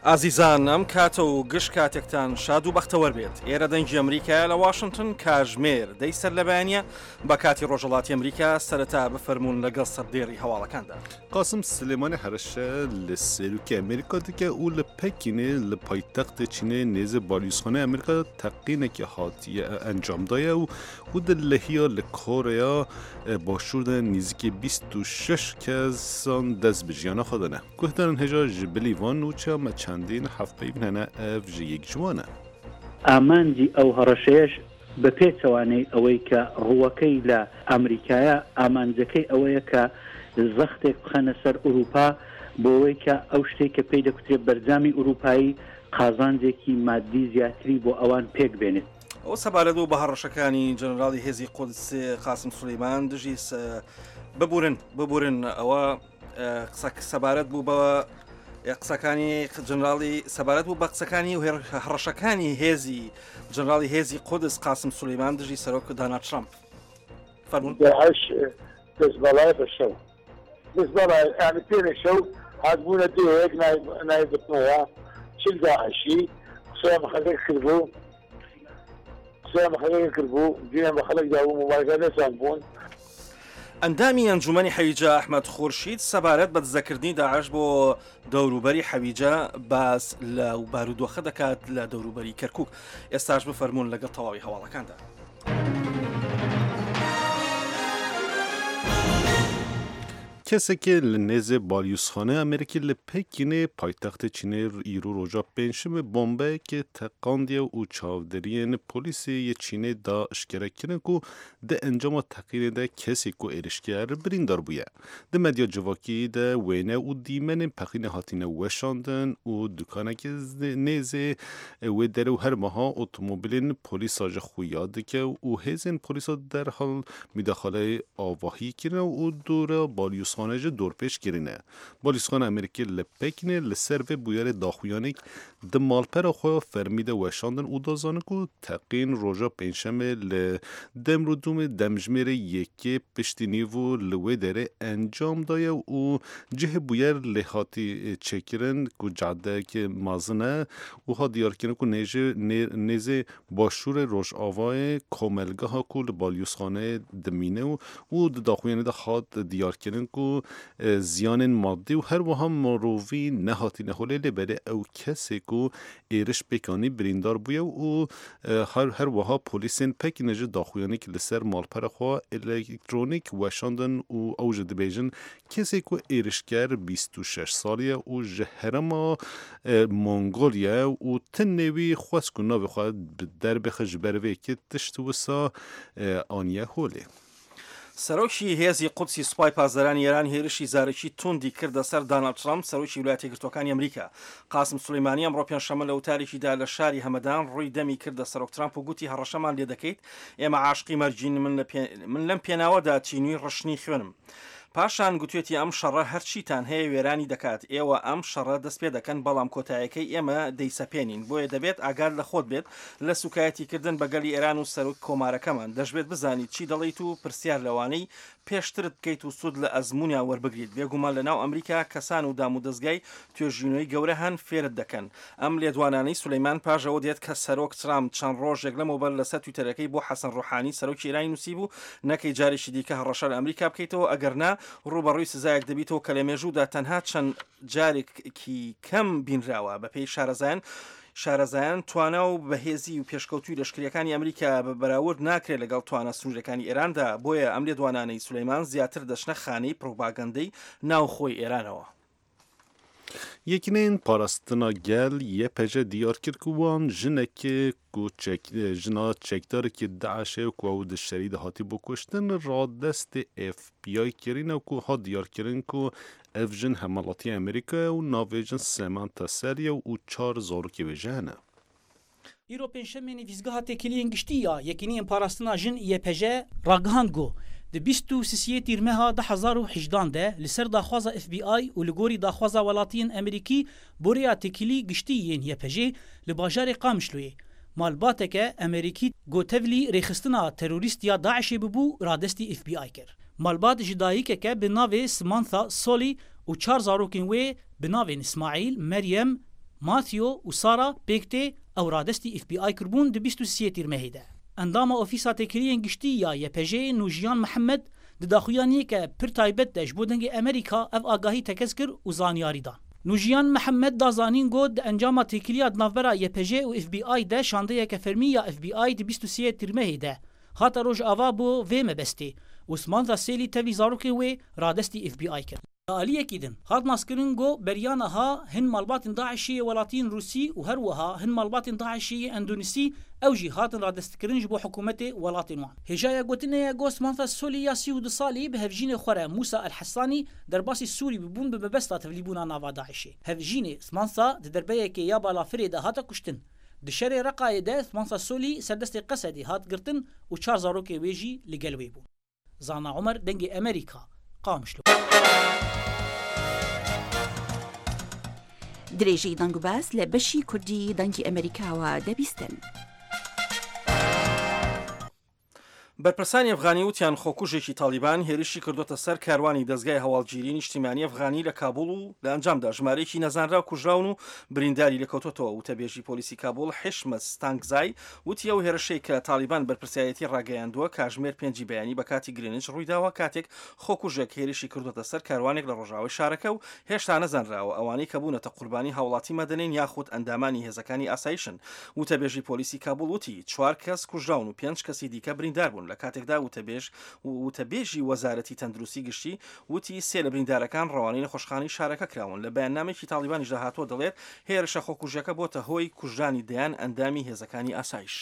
ئازیزان ئەم کاتە و گشت کاتێکتان شاد و بەختەوەر بێت. ئێرە دەنگی ئەمریکایە لە واشنتن کاژمێر دەی سەر لە بەیانە بە کاتی ڕۆژهەڵاتی ئەمریکا سەرەتا بفەرموون لەگەڵ سەردێڕی هەواڵەکاندا. قاسم سلێمانی هەرەشە لە سەرۆکی ئەمریکا دکە و لە پەکینێ لە پایتەختێ چینێ نێزێ بالیوزخانەی ئەمریکا تەقینێکی هاتیە ئەنجام دایە و و di lehiya li Koreya Başûr de nêzîkî 26 kesan dest bi jiyana xwe dane. Guhdarên hêja ji bilî van nûçeya me çendîn hevpeyvîn hene ev ji yek ji wan e. ئامانجی ئەو هەڕەشەیەش بە پێچەوانەی ئەوەی کە ڕووەکەی لە ئامریکایە، ئامانجەکەی ئەوەیە کە زەختێک بخەنە سەر ئورووپا بۆوەی کە ئەو شتەی کە پێی دەکوترێ بەرجامی ئورووپایی قازانجێکی ماددی زیاتری بۆ ئەوان پێک بێنێت. ئەوە سەبارەت بوو بە هەڕەشەکانی جەنەراڵی هێزی قودس قاسم سولەیمان دژی ببورن ببورن ئەوە قسە سەبارەت بوو بە قسەکانی جەنراڵی سەبارەت بوو بە قسەکانی و هەڕەشەکانی هێزی جەنراڵی هێزی قودس قاسم سولەیمان دژی سەرۆک دانا ترامپ فەرموون. داعش دەستبەڵای بە شەو دەستبەڵای یانی پێرێ شەو هاتبوونە دێیەک ناوی بتنەوە چل داعشی قسەیان بە خەڵک کردبوو قسەیان بە خەڵک کردبوو گوێیان بە خەڵک دابوو مۆبایلەکان لێسان بوون. ئەندامی ئەنجوومەنی حەویجە ئەحمەد خورشید سەبارەت بە دزەکردنی داعش بۆ دەوروبەری حەویجە باس لە بارودۆخە دەکات لە دەوروبەری کەرکک ئێستاش بفەرمونون لەگەڵ تەواوی هەواڵەکاندا. کەسێکێ لە نێزێ بالیوزخانەی ئەمریکی لە پەکینێ پایتەختê Çînê îro roja pêncşemê bombeyekê teqandiye û çavdêriyên polîsê yê Çînê da eşkere kirin ku di encama teqînê de kesê ku êrişker birîndar bûye. Di medya civakî de wêne û dîmenên peqînê hatine weşandin û dukanekê nêzê wê derê û her wiha otomobîlên polîsa ji xuya dike û hêzên polîsa derhal Midaxaleyê avahî kirine û dora balyozxane jî dorpêç kirine. Balyozxana Amerîkê li Pekînê li ser vê bûyerê daxuyanîk di malpera xwe ya fermî de weşandin û da zanin ku teqîn roja pêncşemê li Demrûdûmê demjimêrê yekê piştî nîvo li wê derê encam daye û cihê bûyer lê hatî çêkirin ku cadeyeke mezin e û hat diyarkirin ku nêzê Başûrê Rojavayê komelgeha ku li balyozxaneyê dimîne û û di daxuyanê de hat diyarkirin ku ziyanên madî û her wiha mirovî nehatîne holê lê belê ew kesê ku êriş pêk anî birîndar bûye û her her wiha polîsên Pekînê jî daxuyanîk li ser malpera xwe elektronîk weşandin û ew jî dibêjin Kesê ku êrişker 26 salî ye û ji herêma Mongolya ye û tenê wî xwest ku navê xwe bi derbixe ji ber vê yekê tişt wisa aniye holê. سەرۆکی هێزی قودسی سوپای پاسدارانی ئێران هێرشی زارەکی توندی کردە سەر داناڵد ترەمپ، سەرۆکی ویلایەتە یەکگرتووەکانی ئەمریکا. قاسم سولەیمانی ئەمڕۆ پێنجشەممە لە وتارێکیدا لە شاری هەمەدان ڕووی دەمی کردە سەرۆک ترەمپ و گوتی هەڕەشەمان لێدەکەیت، ئێمە عاشقی مەرگین، من لەم پێناوەدا تینووی ڕشتنی خوێنم. پاشان گوتوێتی ئەم شەڕە هەرچیتان هەیە وێرانی دەکات، ئێوە ئەم شەڕە دەستپێدەکەن بەڵام کۆتایەکەی ئێمە دەیسەپێنین، بۆیە دەبێت ئاگات لە خۆت بێت لە سوکایەتیکردن بە گەلی ئێران و سەرۆک کۆمارەکەمان، دەشبێت بزانیت چی دەڵێیت و پرسیار لەوانەی پێشترت بکەیت و سود لە ئەزموونیان وەربگریت، بێگومان لەناو ئەمریکا کەسان و دامودەزگای توێژینەوەی گەورە هەن فێرت دەکەن. ئەم لێدوانانەی سولەیمان پاش ئەوە دێت کە سەرۆک ترامپ چەند ڕۆژێک لەمەوبەر لەسەر تویتەرەکەی بۆ حەسەن ڕۆحانی سەرۆکی ئێرانی نووسیبوو نەکەی جارێکی دیکە هەڕەشە لە ئەمریکا بکەیتەوە ئەگەرنا ڕووبەڕووی سزایەک دەبیتەوە کە لە مێژوودا تەنها چەند جارێکی کەم بینراوە. بەپێی شارەزایان شارەزایان توانا و بەهێزی و پێشکەوتووی لەشکرییەکانی ئەمریکا بە بەراورد ناکرێت لەگەڵ توانا سنوورییەکانی ئێراندا، بۆیە ئەم لێدوانانەی سولەیمان زیاتر دەچنە خانەی پڕوپاگەندەی ناوخۆی ئێرانەوە. Yekîneyên Parastina Gel, YPJ, diyar kir ku wan jinekê ku çek jina çekdarekî DAIŞ'ê ku ew di şerî de hatîbû kuştin radestê FBI kirîne ku hat diyarkirin ku ev jin hemwelatiyê Amerîka ye û navê jin Samantha Sally ye û çar zarokê wê jî hene. Îro Pêncşemê Nivîsgeha Têkiliyên Giştî ya Yekîniyên Parastina Jin, YPJ, ragihand ku di bîst û sisiyê Tîrmeha 2018 de li ser daxwaza FBI û li gorî daxwaza welatiyên Amerîkî bo rêya têkilî giştî yên YPJ'ê li bajarê Qamişloyê malbateke Amerîkî ku tevlî rêxistina terorîst ya DAIŞ'ê bûbû radestî FBI kir. Malbat ji dayikeke bi navê Samantha Solly û çar zarokên wê bi navên Îsmaîl, Meryem, ماثیۆ û Sara pêk tê ew radestî FBI kiribûn di 23 Tîrmehê de. Endama Ofîsa Têkiliyên Giştî ya YPJ'ê Nûjiyan Mihemed di daxuyaniyeke pir taybet de ji bo Dengê Amerîka ev agahî tekez kir û zanyarî dan. Nûjiyan Mihemed da zanîn got di encama têkiliya di navbera YPJ û FBI de şandeyeke fermî ya FBI di 23 Tîrmehê de hate Rojava bo vê mebestê û Samantha Sêlî tevî zarokên wê radestî FBI kir. Li aliyekî din hat naskirin ku beriya niha hin malbatên DAIŞ'ê yê welatiyên Rûsî û her wiha hin malbatên DAIŞ'ê yê Endonesî ew jî hatin radestkirin ji bo hikûmetê welatên wan. Hêjaya gotinê ye ku Samantha Solî ya 32 salî bi hevjînê xwe re Mûsa El Hesanî derbasî Sûrî bûbûn bi mebesta tevlîbûna nava DAIŞ'ê. Hevjînê Samantha di derbeyekê ya balafirê de hate kuştin. Di şerê Reqayê de Samantha Solî ser destê Qesedê hat girtin û çar zarokê wê jî li gel wê bûn. Zana Omer Dengê Amerîka, Qamişlo. درێژەی دەنگ و باس لە بەشی کوردی دەنگی ئەمەریکاوە دەبیستن. بەرپرسانی ئەفغانی وتیان خۆکوژێکی تاڵیبان هێرشی کردووەتە سەر کاروانی دەزگای هەواڵگیری نیشتیمانی ئەفغانی لە کابوڵ و لە ئەنجامدا ژمارەیەکی نەزانراو کوژراون و برینداری لێکەوتووەتەوە. وتەبێژی پۆلیسی کابوڵ حیشمەت ستانکزای وتی ئەو هێرشەی کە تاڵیبان بەرپرسیارێتی ڕاگەیاندووە کاژمێر پێنجی بەیانی بە کاتی گرینچ ڕوویداوە کاتێک خۆکوژێک هێرشی کردووەتە سەر کاروانێک لە ڕۆژاوای شارەکە و هێشتا نەزانراوە ئەوانەی کە بوونەتە قوربانی هاوڵاتی مەدەنین یاخود ئەندامانی هێزەکانی ئاسایشن. وتەبێژی پۆلیسی کابوڵ وتی چوار کەس کوژراون و پێنج کەسی دیکە بریندار بوون لە کاتێکدا وتەبێژ وتەبێژی وەزارەتی تەندروستی گشتی وتی سێ لە بریندارەکان ڕەوانەی نەخۆشخانەی شارەکە کراون. لە بەیاننامەیەکی تاڵیبانیشدا هاتووە دەڵێت هێرشە خۆکوژیەکە بۆتە هۆی کوژرانی دەیان ئەندامی هێزەکانی ئاسایش.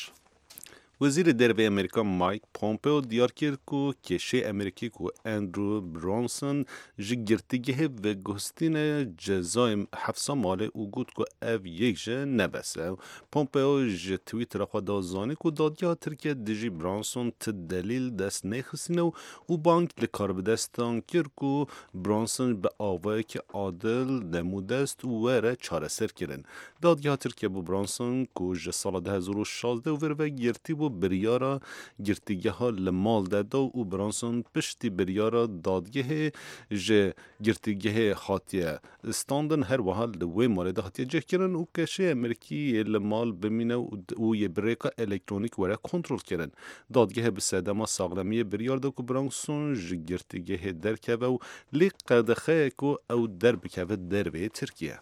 وەزیری دەرەوەی ئەمریکا مایک پۆمپێۆ دیار کرد ku kêşeyê Amerîkî ku Andrew Brunson ji girtîgehê veguhestîne cezayê hefsa malê û got ku ev yek jî ne bes e. Pompeo ji Twittera xwe da zanîn ku dadgeha Tirkiye dijî Brunson ti delîl dest nexistîne û bang li karbidestan kir ku Brunson bi awayekî adil demûdest were çareser kirin. Dadgeha Tirkiye bo Brunson ku ji sala 2016 û vir ve girtî bû biryara girtîgeha li mal de da û Brunson piştî biryara dadgehê ji girtîgehê hatiye standin her wiha li wê malê de hatiye cihkirin û keşê Amerîkî yê li mal bimîne û yê bi rêka elektronîk were kontrol kirin. Dadgehê bi sedema saxlemiyê biryar da ku Brunson ji girtîgehê derkeve û lê qedexeye ku ew derbikeve derveyê Tirkiye.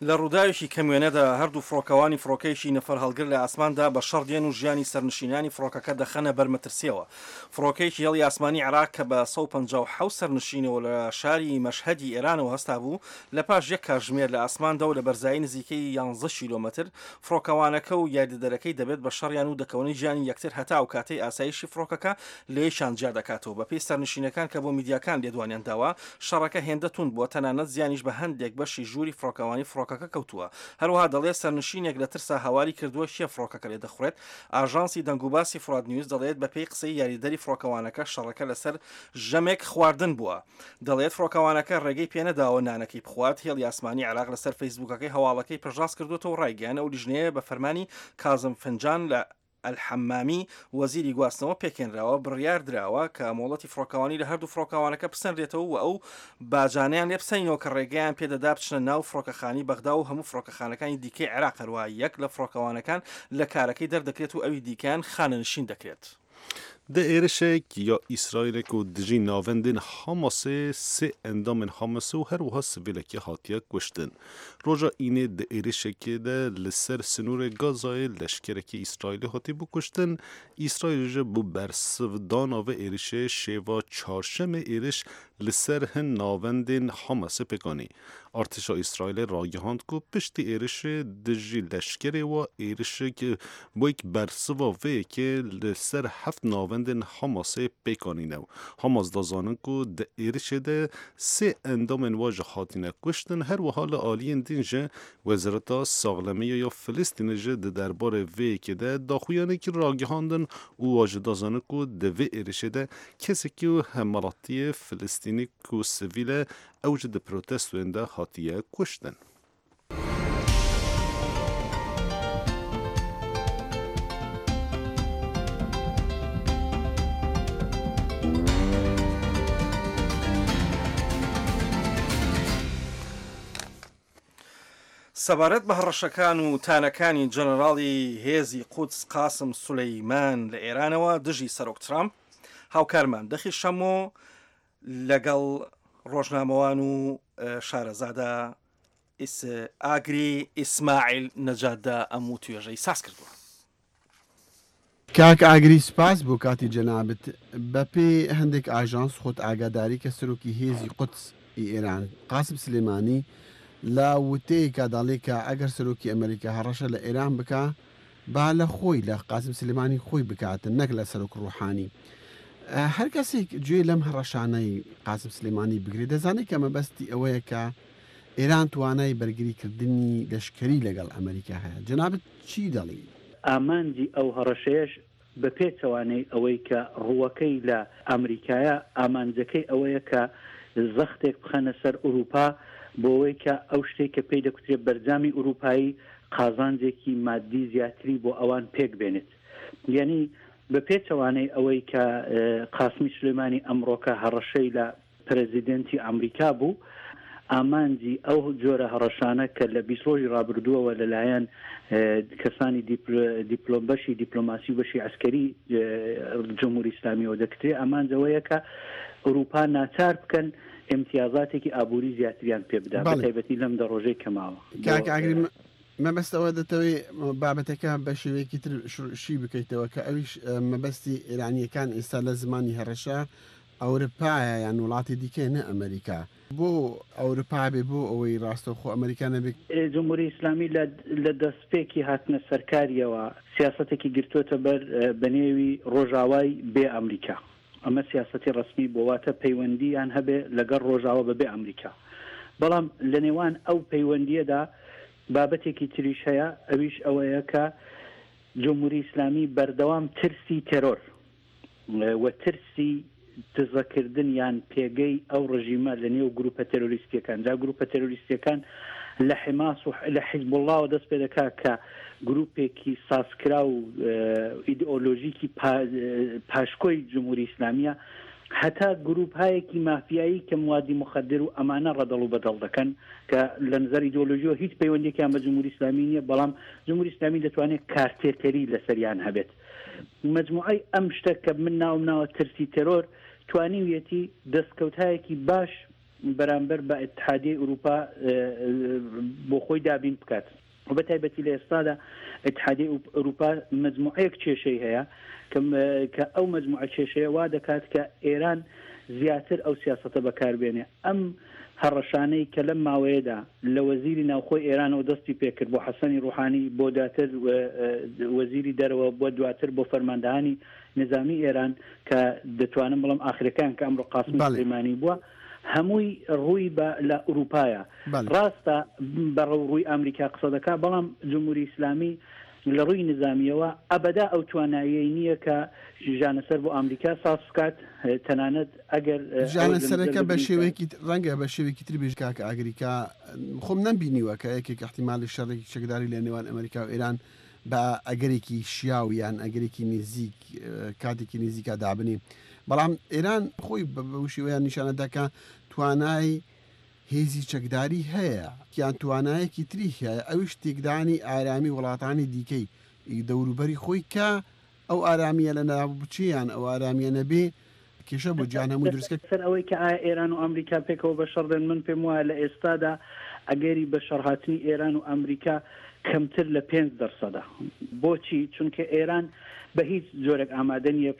لە ڕووداوێکی کەم وێنەدا هەردوو فڕۆکەوانی فڕۆکەیەکی نەفەرهەڵگر لە ئاسماندا بە شەڕ دێن و ژیانی سەرنشینانی فڕۆکەکە دەخەنە بەر مەترسیەوە. فڕۆکەیەکی هێڵی ئاسمانی عێراق کە بە 157 سەرنشینەوە لە شاری مەشهەدی ئێرانەوە هەستابوو، لە پاش یەک کاتژمێر لە ئاسماندا و لە بەرزایی نزیکەی 11 کیلۆمەتر، فڕۆکەوانەکە و یاریدەدەرەکەی دەبێت بە شەڕیان و دەکەونە گیانی یەکتر هەتا ئەو کاتەی ئاسایشی فڕۆکەکە لە یەکیان جیا دەکاتەوە. بەپێی سەرنشینەکان کە بۆ میدیاکان لێدوانیان داوە، شەڕەکە هێندە توند بووە تەنانەت زیانیش بە هەندێک بەشی ژووری فڕۆکەوانی فڕۆکەکە کەوتووە. هەروەها دەڵێت سەرنشینێک لە ترسا هاواری کردووە کێ فڕۆکەکە لێ دەخوڕێت. ئاژانسی دەنگوباسی فورات نیوز دەڵێت بەپێی قسەی یاریدەری فڕۆکەوانەکە شەڕەکە لەسەر ژەمێک خواردن بووە. دەڵێت فڕۆکەوانەکە ڕێگەی پێنەداوە نانەکەی بخوات. هێڵی ئاسمانی عێراق لەسەر فەیسبووکەکەی هەواڵەکەی پشتڕاست کردووەتەوە و ڕایگەیاند ئەو لیژنەیە بە فەرمانی کازم فنجان لە ئەلحەمامی وەزیری گواستنەوە پێکهێنراوە، بڕیاردراوە کە مۆڵەتی فڕۆکەوانی لە هەردوو فڕۆکەوانەکە بسەنرێتەوە و ئەو باجانەیان لێ بسەنینەوە کە ڕێگەیان پێدەدا بچنە ناو فڕۆکەخانەی بەغدا و هەموو فڕۆکەخانەکانی دیکەی عێراق، هەروەها یەک لە فڕۆکەوانەکان لە کارەکەی دەردەکرێت و ئەوی دیکەیان خانەنشین دەکرێت. Di êrişek ya Îsraîlê ku dijî navendên Hamasê sê endamên Hamasê û her wiha sivîlekê hatiye kuştin. Roja Înê di êrişekê de li ser sinorê Gazayê leşkerekî Îsraîlê hatîbû kuştin. Îsraîl ji bo bersivdana vê êrişê şêva çarşemê êriş li ser hin navendên Hamasê pêk anî. Artêşa Îsraîlê ragihand ku piştî êrişê dijî leşkerê wa êrişek wek bersiva vê yekê li ser heft navendên Hamasê pêk anîne. Hamas da zanin ku di êrişê de sê endamên wa ji hatine kuştin, her wiha li aliyên din ji Wezareta Saxlemiyê ya Filistînê jî di derbarê vê yekê de daxuyanekî ragihandin û wa ji da zanin ku di vê êrişê de kesekî û hemwelatiyê Filistînî ku sivîl e ew jî di protestoyên de hatiye kuştin. سەبارەت بە هەڕەشەکان و تانەکانی جەنەراڵی هێزی قودس قاسم سولەیمان لە ئێرانەوە دژی سەرۆک ترامپ، هاوکارمان دەخیل شەمۆ لەگەڵ ڕۆژنامەوان و شارەزادا ئاگری ئیسماعیل نەجاتدا ئەم وتوێژەی ساز کردووە. کاک ئاگری سپاس بۆ کاتی جەنابت. بە پێی هەندێک ئاژانس خۆت ئاگاداری کە سەرۆکی هێزی قودس ی ئێران قاسم سلێمانی لە وتەیەکا دەڵێ کە ئەگەر سەرۆکی ئەمەریکا هەڕەشە لە ئێران بکا با لە خۆی لە قاسم سلێمانی خۆی بکاتن نەک لە سەرۆک ڕوحانی. هەر کەسێک گوێ لەم هەڕەشانەی قاسم سلێمانی بگرێ دەزانێ کە مەبەستی ئەوەیە کە ئێران توانای بەرگری کردنی لەشکەری لەگەڵ ئەمەریکا هەیە. جەنابت چی دەڵێی؟ ئامانجی ئەو هەڕەشەیەش بە پێچەوانەی ئەوەی کە ڕووەکەی لە ئامریکایە، ئامانجەکەی ئەوەیە کە زەختێک بخەنە سەر ئورووپا بۆوەی کە ئەو شتەی کە پێی دەکوترێ بەرجامی ئورووپایی قازانجێکی ماددی زیاتری بۆ ئەوان پێک بێنێت. یانی بە پێچەوانەی ئەوەی کە قاسمی سولەیمانی ئەمڕۆکە هەڕەشەی لە پرێزیدێنتی ئامریکا بوو، ئامانجی ئەو جۆرە هەڕەشانە کە لە 20 ڕۆژی ڕابردووەوە لەلایەن کەسانی دیپلۆم بەشی دیپلۆماسی و بەشی عەسکەری جمهوری ئیسلامیەوە دەکرێ، ئامانج ئەوەیە کە ئورووپا ناچار بکەن ئیمتیازاتێکی ئابووری زیاتریان پێ بدا، بە تایبەتی لەم دە ڕۆژەی کە ماوە. کاک ئاگری مەبەست ئەوە دەتەوێ بابەتەکە بە شێوەیەکی تر شی بکەیتەوە کە ئەویش مەبەستی ئێرانییەکان ئێستا لە زمانی هەڕەشە ئەورپایە یان وڵاتی دیکەیە نە ئەمەریکا. بۆ ئەورپا بێ بۆ ئەوەی ڕاستەوخۆ ئەمەریکا نەبێ؟ جمهوری ئیسلامی لە لە دەستپێکی هاتنە سەرکاریەوە سیاسەتێکی گرتووەتە بەر بە نێوی ڕۆژاوای بێ ئەمریکا. ئەمە سیاسەتی ڕەسمی بووە واتە پەیوەندییان هەبێ لەگەڵ ڕۆژاوا بە بێ ئەمریکا. بەڵام لە نێوان ئەو پەیوەندییەدا بابەتێکی تریش هەیە ئەویش ئەوەیە کە جمهوری ئیسلامی بەردەوام ترسی تێرۆر و ترسی دزەکردن یان پێگەی ئەو ڕژیمە لە نێو گروپە تێرۆریستیەکان، جا گروپە تێرۆریستیەکان لە حماس و لە حیزبوڵڵاوە دەست پێ دەکا کە گروپێکی سازکراو و ئیدئۆلۆژیکی پاشکۆی جمهوری ئیسلامیە هەتا گروپهایەکی مافیایی کە موادی مخدر و ئەمانە ڕەدەڵ و بەدەڵ دەکەن کە لە نظر ئیدئۆلۆژیەوە هیچ پەیوەندیەکیان بە جمهوری ئیسلامی نییە، بەڵام جمهوری ئیسلامی دەتوانێت کارتێکەری لەسەریان هەبێت. مەجموعەی ئەم شتە کە من ناوم ناوە ترسی تێرۆر توانیویەتی دەستکەوتهایەکی باش بەرامبەر بە ئیتحادیەی ئوروپا بۆ خۆی دابین بکات و بە تایبەتی لە ئێستادا ئیتحادیەی ئوروپا مەجموعەیەک کێشەی هەیە کە ئەو مەجموعە کێشەیە وا دەکات کە ئێران زیاتر ئەو سیاسەتە بەکار بێنێ. ئەم هەڕەشانەی کە لەم ماوەیەدا لە وەزیری ناوخۆی ئێرانەوە دەستی پێکرد بۆ حەسەنی ڕوحانی بۆ دواتر وەزیری دەرەوە بۆ دواتر بۆ فەرماندەهانی نیزامی ئێران کە دەتوانم بڵێم ئاخرەکەیان کە ئەمڕۆ قاسمی سولەیمانی بووە هەمووی ڕووی بە لە ئورووپایە. ڕاستە بە ڕووی ئامریکا قسە دەکا بەڵام جمهوری ئیسلامی لە ڕووی نیزامییەوە ئەبەدا ئەو تواناییەی نییە کە ژانەسەر بۆ ئامریکا ساز بکات، تەنانەت ئەگەر ئەوەش لە نەزەر ژانەسەرەکە بە بگرین کە. شێوەیەکی ڕەنگە بە شێوەیەکی تر بێژ کاک ئاگری کە خۆم نەمبینیوە کە یەکێک ئیحتیمالی شەڕێکی چەکداری لە نێوان ئەمریکا و ئێران بە ئەگەرێکی شیاو یان ئەگەرێکی نزیک کاتێکی نزیکا دابنێ بەڵام ئێران خۆی بەو شێوەیان نیشانە دا کە توانای هێزی چەکداری هەیە یان توانایەکی تری هەیە ئەویش تێکدانی ئارامی وڵاتانی دیکەی دەوروبەری خۆی کە ئەو ئارامیە لە ناو بچێ یان ئەو ئارامیە نەبێ کێشە بۆ جیهان هەمووی دروست کە. لەسەر ئەوەی کە ئایا ئێران و ئەمریکا پێکەوە بە شەڕ دێن، من پێم وایە لە ئێستادا ئەگەری بە شەڕهاتنی ئێران و ئەمریکا کەمتر لە پێنج دەرسەدە. بۆچی؟ چونکە ئێران بە هیچ جۆرێک ئامادە نییە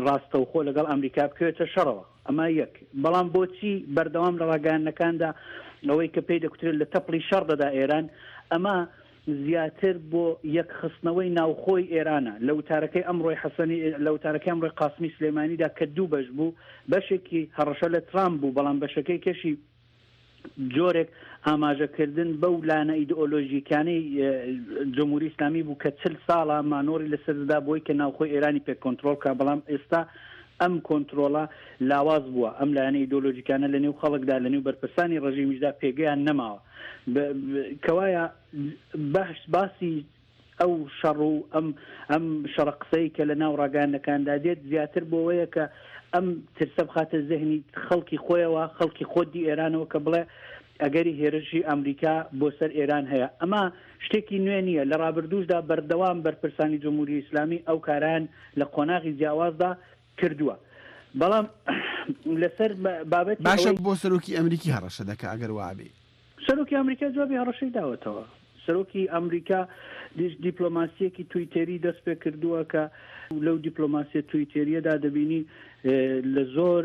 ڕاستەوخۆ لەگەڵ ئەمریکا بکەوێتە شەڕەوە. ئەمە یەک. بەڵام بۆچی بەردەوام لە ڕاگەیاندنەکاندا ئەوەی کە پێی دەکوترێت لە تەپڵی شەڕ دەدا ئێران، ئەمە زیاتر بۆ یەکخستنەوەی ناوخۆی ئێرانە. لە وتارەکەی ئەمڕۆی حەسەنی لە وتارەکەی ئەمڕۆی قاسمی سلێمانیدا کە دوو بەش بوو، بەشێکی هەڕەشە لە ترامپ بوو، بەڵام بەشەکەی کەشی جۆرێک ئاماژەکردن بەو لایەنە ئیدئۆلۆژیکانەی جمهوری ئیسلامی بوو کە چل ساڵە مانۆڕی لەسەر دەدا بۆی کە ناوخۆی ئێرانی پێ کۆنترۆڵ کا، بەڵام ئێستا ئەم کۆنترۆڵە لاواز بووە، ئەم لایەنە ئیدۆلۆژیکانە لە نێو خەڵکدا، لە نێو بەرپرسانی ڕژیمیشدا پێگەیان نەماوە. کەوایە باسی ئەو شەڕ و ئەم ئەم شەڕە قسەی کە لە ناو ڕاگەیاندنەکاندا دێت زیاتر بۆوەیە کە ئەم ترسە بخاتە زهنی خەڵکی خۆیەوە، خەڵکی خۆدی ئێرانەوە کە بڵێ ئەگەری هێرشی ئەمریکا بۆ سەر ئێران هەیە. ئەمە شتێکی نوێ نییە، لە ڕابردووشدا بەردەوام بەرپرسانی جمهوری ئیسلامی ئەو کارەیان لە قۆناغی جیاوازدا کردووە. بەڵام لەسەر بابەتی باشە ئەوەی. بۆ سەرۆکی ئەمریکی هەڕەشە دەکا ئەگەر وابێ؟ سەرۆکی ئەمریکا جوابی هەڕەشەی داوەتەوە. سەرۆکی ئەمریکا دیپلۆماسییەکی تویتێری دەست پێ کردووە کە لەو دیپلۆماسییە تویتێرییەدا دەبینی لە زۆر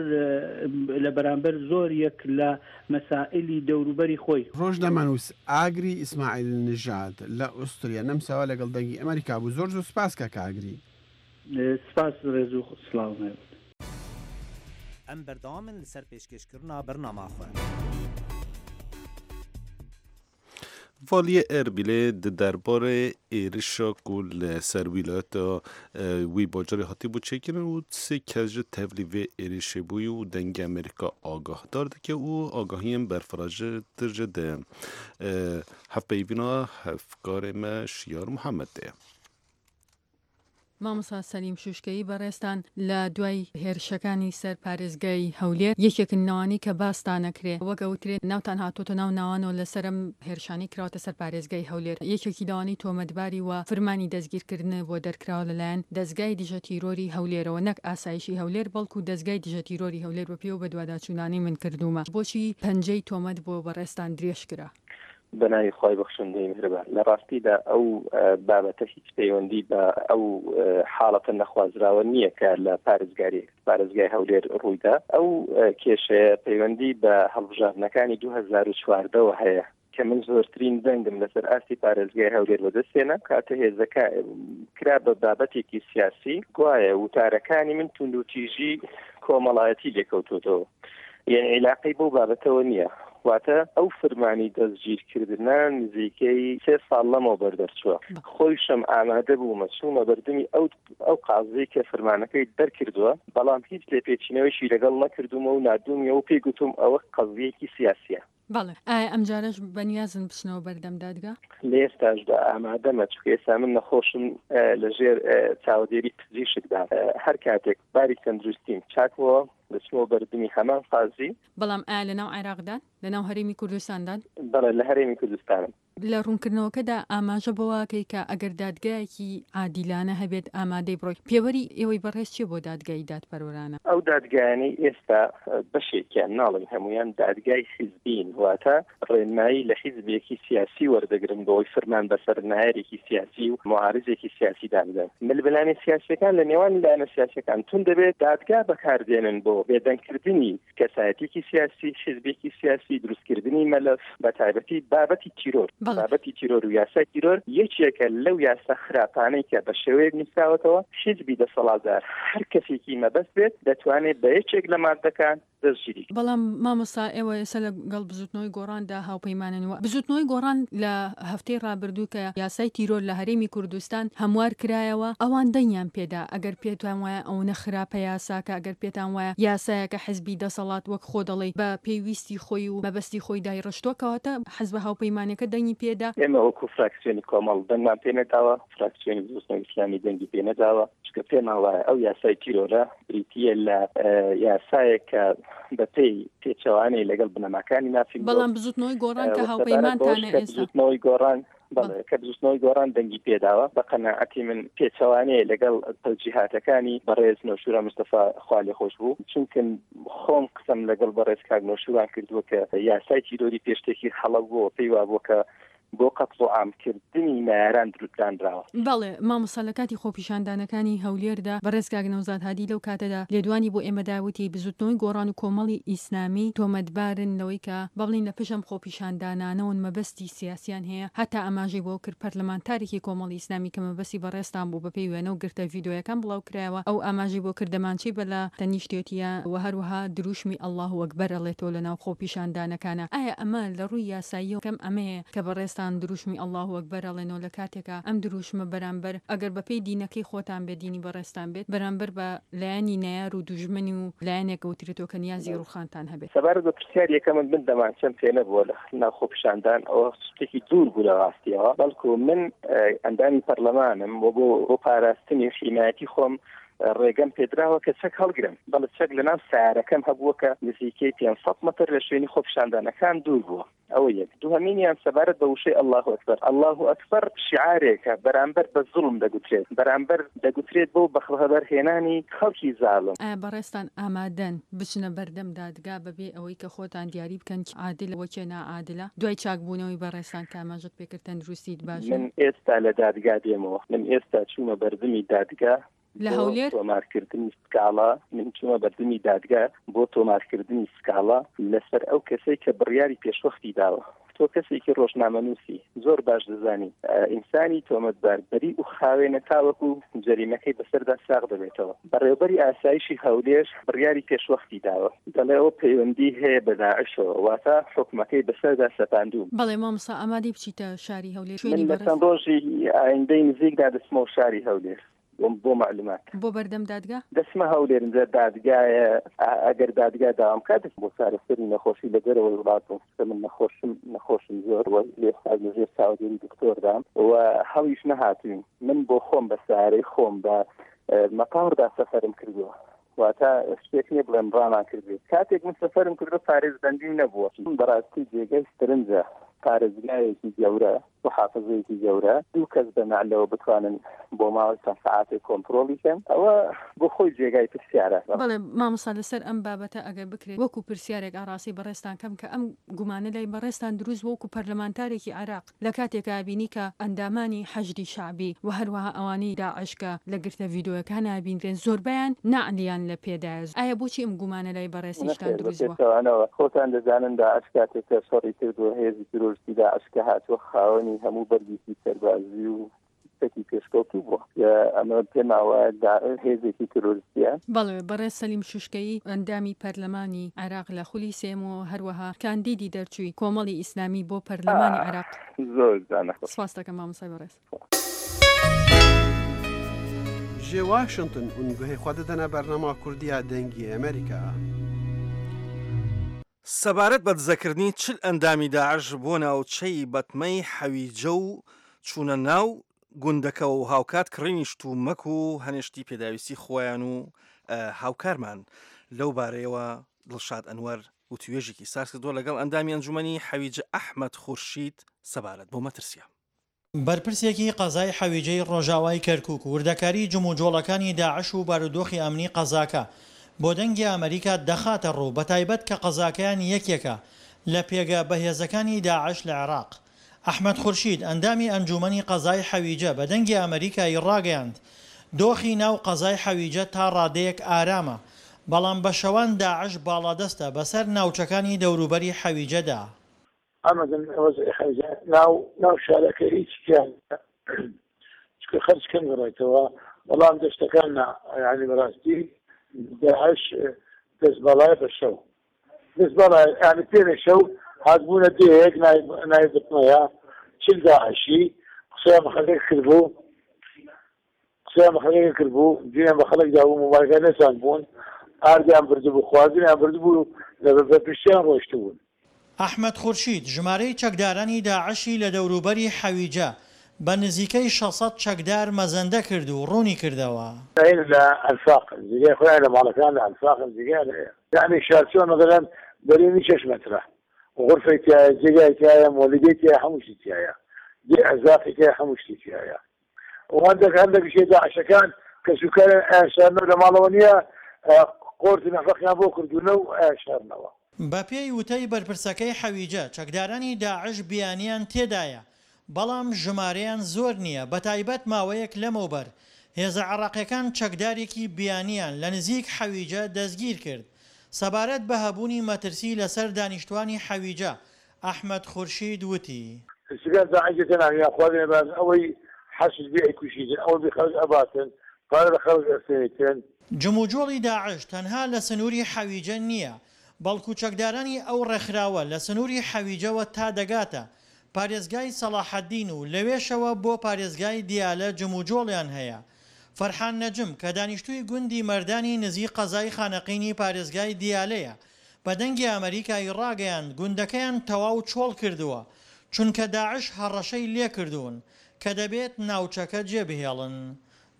لە بەرامبەر زۆر یەک لە مەسائلی دەوروبەری خۆی. ڕۆژنامەنووس ئاگری ئیسماعیل نژاد لە ئوستریا نەمساوە لەگەڵ دەنگی ئەمەریکا بوو. زۆر زۆر سپاس کاک ئاگری. سپاس ڕێز و سڵاوم هەبێت. Em berdewam in li ser pêşkêşkirina bernama xwe. Valiyê Erbîlê di derbarê êrişa ku li ser wîlayeta wî bajarê hatibû çêkirin û sê kes ji tevlî vê êrişê bûyî û Dengê Amerîka agahdar dike û agahiyên berfirehtir ji di hevpeyvîna hevkarê me Şiyar Muhammed de ye. مامۆستا سەلیم شوشکەیی بەڕێزتان لە دوای هێرشەکانی سەر پارێزگای هەولێر یەکێکن لەوانەی کە باستان ئەکرێ وەک ئەوترێ ناوتان هاتۆتە ناو ناوانەوە لەسەر ئەم هێرشانەی کراوەتە سەر پارێزگای هەولێر یەکێکی لەوانەی تۆمەتباری و فرمانی دەستگیرکردن بۆ دەرکراوە لەلایەن دەزگای دژە تیرۆری هەولێرەوە نەک ئاسایشی هەولێر بەڵکو دەزگای دژە تیرۆری هەولێر بەپێی ئەو بەدواداچوونانەی من کردوومە بۆچی پەنجەی تۆمەت بۆ بەڕێزتان درێژکرا؟ بە ناوی خوای بەخشندەی میهرەبان. لە ڕاستیدا ئەو بابەتە هیچ پەیوەندی بە ئەو حاڵەتە نەخوازراوە نییە کە لە پارێزگاری پارێزگای هەولێر ڕوویدا. ئەو کێشەیە پەیوەندی بە هەڵبژاردنەکانی 2014ەوە هەیە کە من زۆرترین دەنگم لەسەر ئاستی پارێزگای هەولێر بەدەستهێنا. کاتە هێزەکە کرا بە بابەتێکی سیاسی، گوایە وتارەکانی من توندوتیژی کۆمەڵایەتی لێکەوتۆتەوە. یعنی عیلاقەی بەو بابەتەوە نییە. واتە ئەو فرمانی دەستگیرکردنە نزیکەی سێ ساڵ لەمەوبەر دەرچووە. خۆیشم ئامادە بوومە چوومە بەردەمی ئەو ئەو قازیەی کە فرمانەکەی دەرکردووە، بەڵام هیچ لێپێچینەوەیشی لەگەڵ نەکردوومە و ناردوومیەوە و پێی گوتووم ئەوە قەزیەیەکی سیاسیە. بەڵێ. ئایا ئەمجارەش بەنیازن بچنەوە بەردەم دادگا؟ لە ئێستاشدا ئامادەمە، چونکە ئێستا من نەخۆشم لە ژێر چاودێری پزیشکدام. هەر کاتێک باری تەندروستیم چاک بۆوە دەچمەوە بەردمی هەمان قازی. بەڵام ئایا لەناو عێراقدان؟ لەناو هەرێمی کوردستاندان؟ بەڵێ لە هەرێمی کوردستانم. لە ڕوونکردنەوەکەدا ئاماژە بەوە ئەکەی کە ئەگەر دادگایەکی عادیلانە هەبێت ئامادەی بڕۆی. پێوەری ئێوەی بەڕێز چیە بۆ دادگای دادپەروەرانە؟ ئەو دادگایانەی ئێستا بەشێکیان ناڵێم هەموویان دادگای حیزبین، واتە ڕێنمایی لە حیزبێکی سیاسی وەردەگرن بۆ ئەوەی فرمان بەسەر نایەرێکی سیاسی و موعارزێکی سیاسیدا بدەن. ململانێ سیاسیەکان لە نێوان لایەنە سیاسیەکان توند دەبێت، دادگا بەکاردێنن بۆ بێدەنگکردنی کەسایەتیەکی سیاسی، حیزبێکی سیاسی، دروستکردنی مەلەف، بە تایبەتی بابەتی تیرۆر. بابەتی تیرۆر و یاسای تیرۆر یەکێکە لەو یاسا خراپانەی کە بە شێوەیەک نووسراوەتەوە حیزبی دەسەڵاتدار هەر کەسێکی مەبەست بێت دەتوانێت بە یەکێک لە ماددەکان دەستگیری. بەڵام مامۆستا ئێوە ئێستا لە گەڵ بزوتنەوەی گۆڕاندا هاوپەیمانن و بزوتنەوەی گۆڕان لە هەفتەی ڕابردوو کە یاسای تیرۆر لە هەرێمی کوردستان هەموار کرایەوە ئەوان دەنگیان پێدا ئەگەر پێتان وایە ئەونە خراپە یاساکە ئەگەر پێتان وایە یاسایەکە حزبی دەسەڵات وەک خۆ دەڵێی بە پێی ویستی خۆی و مەبەستی خۆی دایڕشتوە کەواتە حزبە هاوپەیمانەکە دەنگی پێدا. ئێمە وەکو فراکسیۆنی کۆمەڵ دەنگمان پێ نەداوە، فراکسیۆنی بزوتنەوەی ئیسلامی دەنگی پێ نەداوە، چونکە پێمان وایە ئەو یاسای تیرۆرە بریتییە لە یاسایەک کە بە پێی پێچەوانەی لەگەڵ بنەماکانی مافی مرۆڤ. بەڵام بزوتنەوەی گۆڕان کە و سەبارەت بەوەش هاوپەیمانتانە کە ئێستا. بزوتنەوەی گۆڕان بەڵێ کە بزوتنەوەی گۆڕان دەنگی پێداوە بە قەناعەتی من پێچەوانەیە لەگەڵ تەوجیهاتەکانی بەڕێز نەوشیروان مستەفا خوالێخۆشبوو چونکە خۆم قسەم لەگەڵ بەڕێز کاک نەوشیروان کردووە کە یاسای تیرۆری پێشتێکی هەڵە بووە پێی وابووە کە بۆ قەتڵ و عام کردنی نەیاران دروستدانراوە. بەڵێ مامۆستا لە کاتی خۆپیشاندانەکانی هەولێردا بەڕێز کاک نەوزاد هادی لەو کاتەدا لێدوانی بۆ ئێمە دا وتی بزوتنەوەی گۆڕان و کۆمەڵی ئیسلامی تۆمەتبارن لەوەی کە با بڵێین لە پشت ئەم خۆپیشاندانانەوەن مەبەستی سیاسیان هەیە هەتا ئاماژەی بەوە کرد پەرلەمانتارێکی کۆمەڵی ئیسلامی کە مەبەستی بەڕێزتان بوو بەپێی وێنە و گرتە ڤیدۆیەکان بڵاو کرایەوە ئەو ئاماژەی بۆ کرد دەمانچەی بە لە تەنیشتێتیە و هەروەها دروشمی اللە اکبر ئەڵێتەوە لەناو خۆپیشاندانەکانا ئایا ئەمە لە ڕووی یاساییەوە کەم ئەمەیە کە بەڕێزتان دروشمی اللە اکبر ئەڵێنەوە لە کاتێکا ئەم دروشمە بەرامبەر ئەگەر بەپێی دینەکەی خۆتان بێت دینی بەڕێزتان بێت بەرامبەر بە لایەنی نەیار و دوژمن و لایەنێک ئەوترێتەوە کە نیازی ڕوخانتان هەبێت. سەبارەت بە پرسیاری یەکەمت من دەمانچەم پێ نەبووە لە ناو خۆپیشاندان ئەوە شتێکی دوور بوو لە ڕاستیەوە بەڵکو من ئەندامی پەرلەمانم و بۆ بۆ پاراستنی و حیمایەتی خۆم ڕێگەم پێدراوە کە چەک هەڵگرم بەڵێ چەک لە ناو سیارەکەم هەبووە کە نزیکەی 500 مەتر لە شوێنی خۆپیشاندانەکان دوور بووە. ئەوە یەک. دووهەمینیان سەبارەت بە وشەی اللە اکبر، اللە اکبر شیعارێکە بەرامبەر بە زوڵم دەگوترێت، بەرامبەر دەگوترێت بۆ بەخەبەرهێنانی خەڵکی زاڵم. ئایا بەڕێزتان ئامادەن بچنە بەردەم دادگا بەبێ ئەوەی کە خۆتان دیاری بکەن کێ عادلە و کێ ناعادلە؟ دوای چاکبوونەوەی بەڕێزتان کە ئاماژەت پێکرد تەندروستیت باشە؟ من ئێستا لە دادگا دێمەوە. من ئێستا چوومە بەردمی دادگا لە هەولێر؟ بۆ تۆمارکردنی سکاڵا، من چوومە بەردمی دادگا بۆ تۆمارکردنی سکاڵا لەسەر ئەو کەسەی کە بڕیاری پێشوەختی داوە. تۆ کەسێکی ڕۆژنامەنووسی زۆر باش دەزانی ئینسانی تۆمەتبار بەری و خاوێنە تاوەکو جەریمەکەی بەسەردا ساغ دەبێتەوە. بەڕێوبەری ئاسایشی هەولێر بڕیاری پێشوەختی داوە، دەڵێ ئەوە پەیوەندی هەیە بە داعشەوە، واتە حوکمەکەی بەسەردا سەپاندووم. بەڵێ مامۆستا ئامادەی بچیتە شاری هەولێر شوێنی من لە چەند ڕۆژی ئایندەی نزیکدا دەچمەوە شاری هەولێر بۆ مەعلومات. بۆ بەردەم دادگا؟ دەچمە هەولێر ئینجا دادگایە ئەگەر دادگا داوام بکات دەچم بۆ چارەسەری نەخۆشی لە دەرەوەی وڵات بووم چونکە من نەخۆشم نەخۆشم زۆر و لێستا لە ژێر چاودێری دکتۆردام و هەڵیش نەهاتووین من بۆ خۆم بە سارەی خۆم بە مەتاردا سەفەرم کردووە واتە شتێک نییە بڵێم ڕامان کردبێت کاتێک من سەفەرم کردووە پارێزبەندیم نەبووە. بەڕاستی جێگای سەرنجە پارێزگایەکی گەورە محافزەیەکی گەورە دوو کەس بە نەعلەوە بتوانن بۆ ماوەی چەند سەعاتێک کۆنتڕۆڵی کەن ئەوە بۆ خۆی جێگای پرسیارە. بەڵێ مامۆستا لەسەر ئەم بابەتە ئەگەر بکرێت وەکو پرسیارێک ئاڕاستەی بەڕێزتان کەم کە ئەم گومانە لای بەڕێزتان دروست بووە وەکو پەرلەمانتارێکی عێراق لە کاتێکا بینی کە ئەندامانی حەشدی شەعبی و هەروەها ئەوانەی داعش کە لە گرتە ڤیدۆیەکانا بینرێن زۆربەیان نەعلیان لە پێدایە ئایا بۆچی ئەم گومانە لای بەڕێزیشتان نەخێر بە دروست بووە؟ پێچەوانەوە خۆتان دەزانن داعش کاتێک کە شەڕی کردووە هێزی تیرۆریستی داعش کە هاتووە خاوەنی هەموو بەرگێکی سەربازی و چەکی پێشکەوتوو بووە ئەمە پێمان وایە داعش هێزێکی تیرۆریستیە. بەڵێ بەڕێز سەلیم شوشکەیی ئەندامی پەرلەمانی عێراق لە خولی سێیەم و هەروەها کاندیدی دەرچووی کۆمەڵی ئیسلامی بۆ پەرلەمانی عێراق. زۆر جوانە. سپاست دەکەم مامۆستای بەڕێز. Ji Washington hûn guhê xwe didine bernama Kurdî ya Dengê Amerîka. سەبارەت بە دزەکردنی 40 ئەندامی داعش بۆ ناوچەی بەتمەی حەویجە و چوونە ناو گوندەکەوە و هاوکات کڕینی شتومەک و هەنێ شتی پێداویستی خۆیان و هاوکارمان لەو بارەیەوە دڵشاد ئەنوەر وتوێژێکی ساز کردووە لەگەڵ ئەندامی ئەنجومەنی حەویجە ئەحمەد خورشید سەبارەت بۆ مەترسیە. بەرپرسێکی قەزای حەویجەی ڕۆژاوای کەرکوک وردەکاری جموجۆڵەکانی داعش و بارودۆخی ئەمنی قەزاکە بۆ دەنگی ئەمەریکا دەخاتەڕوو، بەتایبەت کە قەزاکەیان یەکێکە لە پێگە بەهێزەکانی داعش لە عێراق. ئەحمەد خورشید، ئەندامی ئەنجوومەنی قەزای حەویجە بە دەنگی ئەمەریکا ی ڕاگەیاند، دۆخی ناو قەزای حەویجە تا ڕادەیەک ئارامە، بەڵام بە شەوان داعش باڵادەستە بەسەر ناوچەکانی دەوروبەری حەویجەدا. ئەمەدن وەزعی حەویجە ناو ناو شارەکە هیچ تیا نیە چونکە خەرج کەم گەڕێتەوە بەڵام دەشتەکان نا یانی بەڕاستی داعش دەست باڵایە بە شەو دەست باڵایە یانی پێرێ شەو هاتبوونە دێیەک ناوی بتمەیە چل داعشی قسەیان بە خەڵک کردبوو قسەیان بە خەڵک کردبوو جوێنیان بە خەڵک دابوو مۆبایلەکان نەچاند بوون ئاردیان بردبوو خواردنیان بردبوو لە بە پشتیان ڕۆیشتبوون. ئەحمەد خورشید، ژمارەی چەکدارانی داعشی لە دەوروبەری حەویجە بە نزیکەی 600 چەکدار مەزەندە کرد و ڕوونی کردەوە. هەیە لە ئەنفاقن جێگای خۆیان لە ماڵەکان لە ئەنفاقن جێگایان هەیە یەعنی شارچۆن مەسەلەن بەرینی شەش مەترە غورفەی تیایە جێگای تیایە مۆلیدەی تیایە هەموو شتی تیایە جێ ئەرزاقی تیایە هەموو شتی تیایە و هەندێک هەندێکیش داعشەکان کەسوکاریان ئەیانشارنەوە لە ماڵەوە نییە قۆرت و نەفەقیان بۆ کردوونە و ئەیانشارنەوە. بەپێی وتەی بەرپرسەکەی حەویجە، چەکدارانی داعش بیانیان تێدایە، بەڵام ژمارەیان زۆر نییە، بەتایبەت ماوەیەک لەمەوبەر هێزە عێراقیەکان چەکدارێکی بیانیان لە نزیک حەویجە دەستگیرکرد. سەبارەت بە هەبوونی مەترسی لەسەر دانیشتوانی حەویجە، ئەحمەد خورشید وتی. سگار داعش دێتە ناو یان خوا بێنە ئەوەی حەشد بێ ئەیکوژیتن ئەوەی بێ خەڵک ئەباتن پارە لە خەڵک ئەسێنیتن. جموجۆڵی داعش تەنها لە سنووری حەویجە نییە، بەڵکو چەکدارانی ئەو ڕێکخراوە لە سنووری حەویجەوە تا دەگاتە پارێزگای سەڵاحەدین و لەوێشەوە بۆ پارێزگای دیالە جموجۆڵیان هەیە. فەرحان نەجم کە دانیشتووی گوندی مەردانی نزیک قەزای خانەقینی پارێزگای دیالەیە، بە دەنگی ئەمەریکا ی ڕاگەیاند گوندەکەیان تەواو چۆڵ کردووە، چونکە داعش هەڕەشەی لێکردوون کە دەبێت ناوچەکە جێبهێڵن.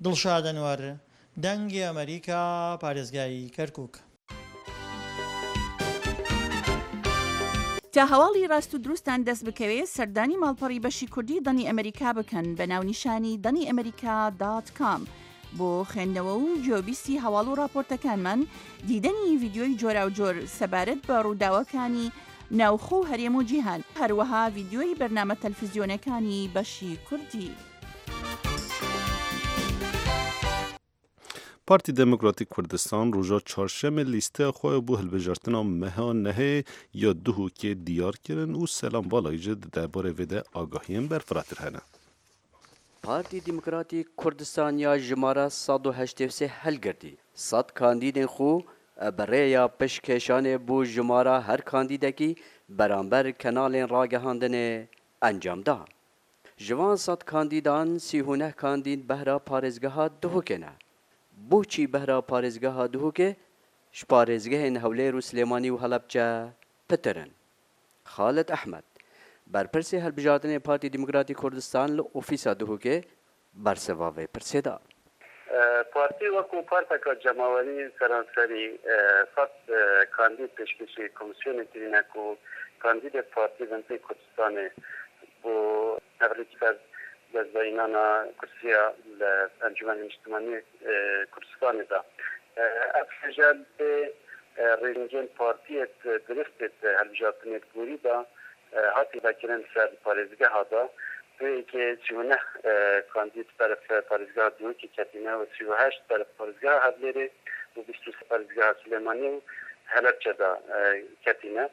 دڵشاد ئەنوەر، دەنگی ئەمەریکا، پارێزگای کەرکوک. تا هەواڵی ڕاست و دروستتان دەست بکەوێ سەردانی ماڵپەڕی بەشی کوردی دەنگی ئەمەریکا بکەن بە ناونیشانی دەنگی ئەمەریکا دات کام بۆ خوێندنەوە و گوێبیستی هەواڵ و ڕاپۆرتەکانمان، دیدەنی ڤیدیۆی جۆراوجۆر سەبارەت بە ڕووداوەکانی ناوخۆ و هەرێم و جیهان، هەروەها ڤیدیۆی بەرنامە تەلفزیۆنەکانی بەشی کوردی. Partî Demokratîk Kurdistan roja çarşemê lîsteya xwe ya bo hilbijartina meha nehê ya Duhokê diyar kirin û Selam Balayî jî di derbarê vê de agahiyên berfirehtir hene. Partî Demokratîk Kurdistan ya jimara 183 hilgirtî, sed kandîdên xwe bi rêya pişkêşanê bo jimara her kandîdekî beramber kenalên ragihandinê encam da. Ji van sed kandîdan 39 kandîd behra parêzgeha Duhokê ne. Boçî behra parêzgeha Duhokê ji parêzgehên Hewlêr û Silêmanî û Helebçe pitir in. Xalid Ehmed, berpirsê hilbijartinê Partî Demokratî Kurdistan li ofîsa Duhokê bersiva vê pirsê da. Partî wekû parteka cemawerî seranserî sed kandîd pêşkêşî komîsyonê kirîne ku kandîdê partî bin tê Kurdistanê bo hevrêkî ser destdayînana kursiya li Encûmenê Niştimanî Kurdistanê de. Ev rêje pê rêzingên partiyê diristê di hilbijartinê borî de hatî vekirin ser parêzgeha de vê yekê 39 kandîd berf parêzgeha Duhokê ketîne û 38 berf parêzgeha Hevlêrê û 23 parêzgeha Silêmanî û Helebçe de ketîne.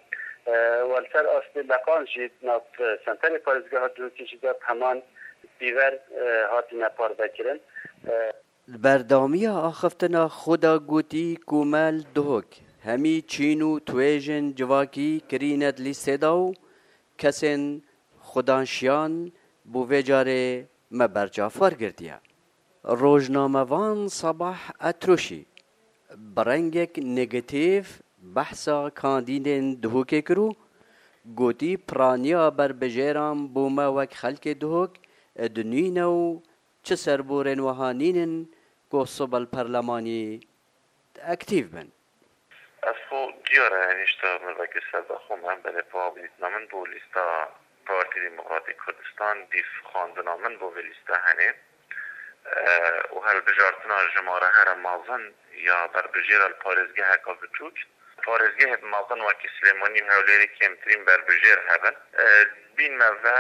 Û li ser astê leqan jî nav senterê parêzgeha Duhokê jî de heman pîver hatine parvekirin. Li berdewamiya axiftina xwe de gotî ku me li Duhok hemî çîn û twêjên civakî kirîne di lîstê de û kesên xwedanşiyan bo vê carê me berçav wergirtiye. Rojnamevan Sabah Etrûşî bi rengek negatîv behsa kandîdên Duhokê kir û gotî piraniya berbijêran bo me wek xelkê Duhok dinîne û Çi serborên wiha nînin ku sibe li perlemanî aktîv bin? Ez xwe diyar e hêşta mirovekî serbixwe me, belê pa dîtina min bo lîsta Partî Demokratîk Kurdistan dîf xwendina min bo vê lîsta henê û hilbijartina jimare here mezin ya berbijêra li parêzgeheka biçûk. Parêzgehên mezin wekî Silêmanî û Hewlêrê kêmtirîn berbijêr hebin. Bîn me ve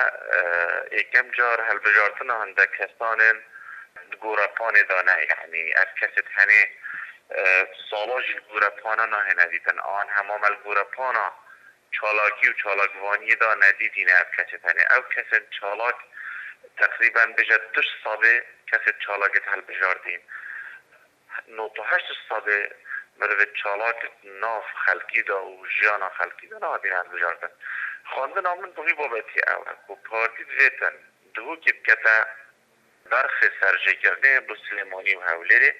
yekem car hilbijartina hindek kesanên di gorepanê de ne. Yanî ev kesê tenê sala jî li gorepana nahêne dîtin. An hema me li gorepana çalakî û çalakvaniyê de nedîtîne ev kesê tenê. Ew kesên çalak teqrîben bêje du sedê kesê çalakê di hilbijartîn. 98 sedê merivê çalak nav xelkî de û jiyana xelkî de nehatîne hilbijartin. Xwendina min bi vî babetî ew e ku partî divêtin Duhokê bikete berxê serjêkirinê bo Silêmanî û Hewlêrê.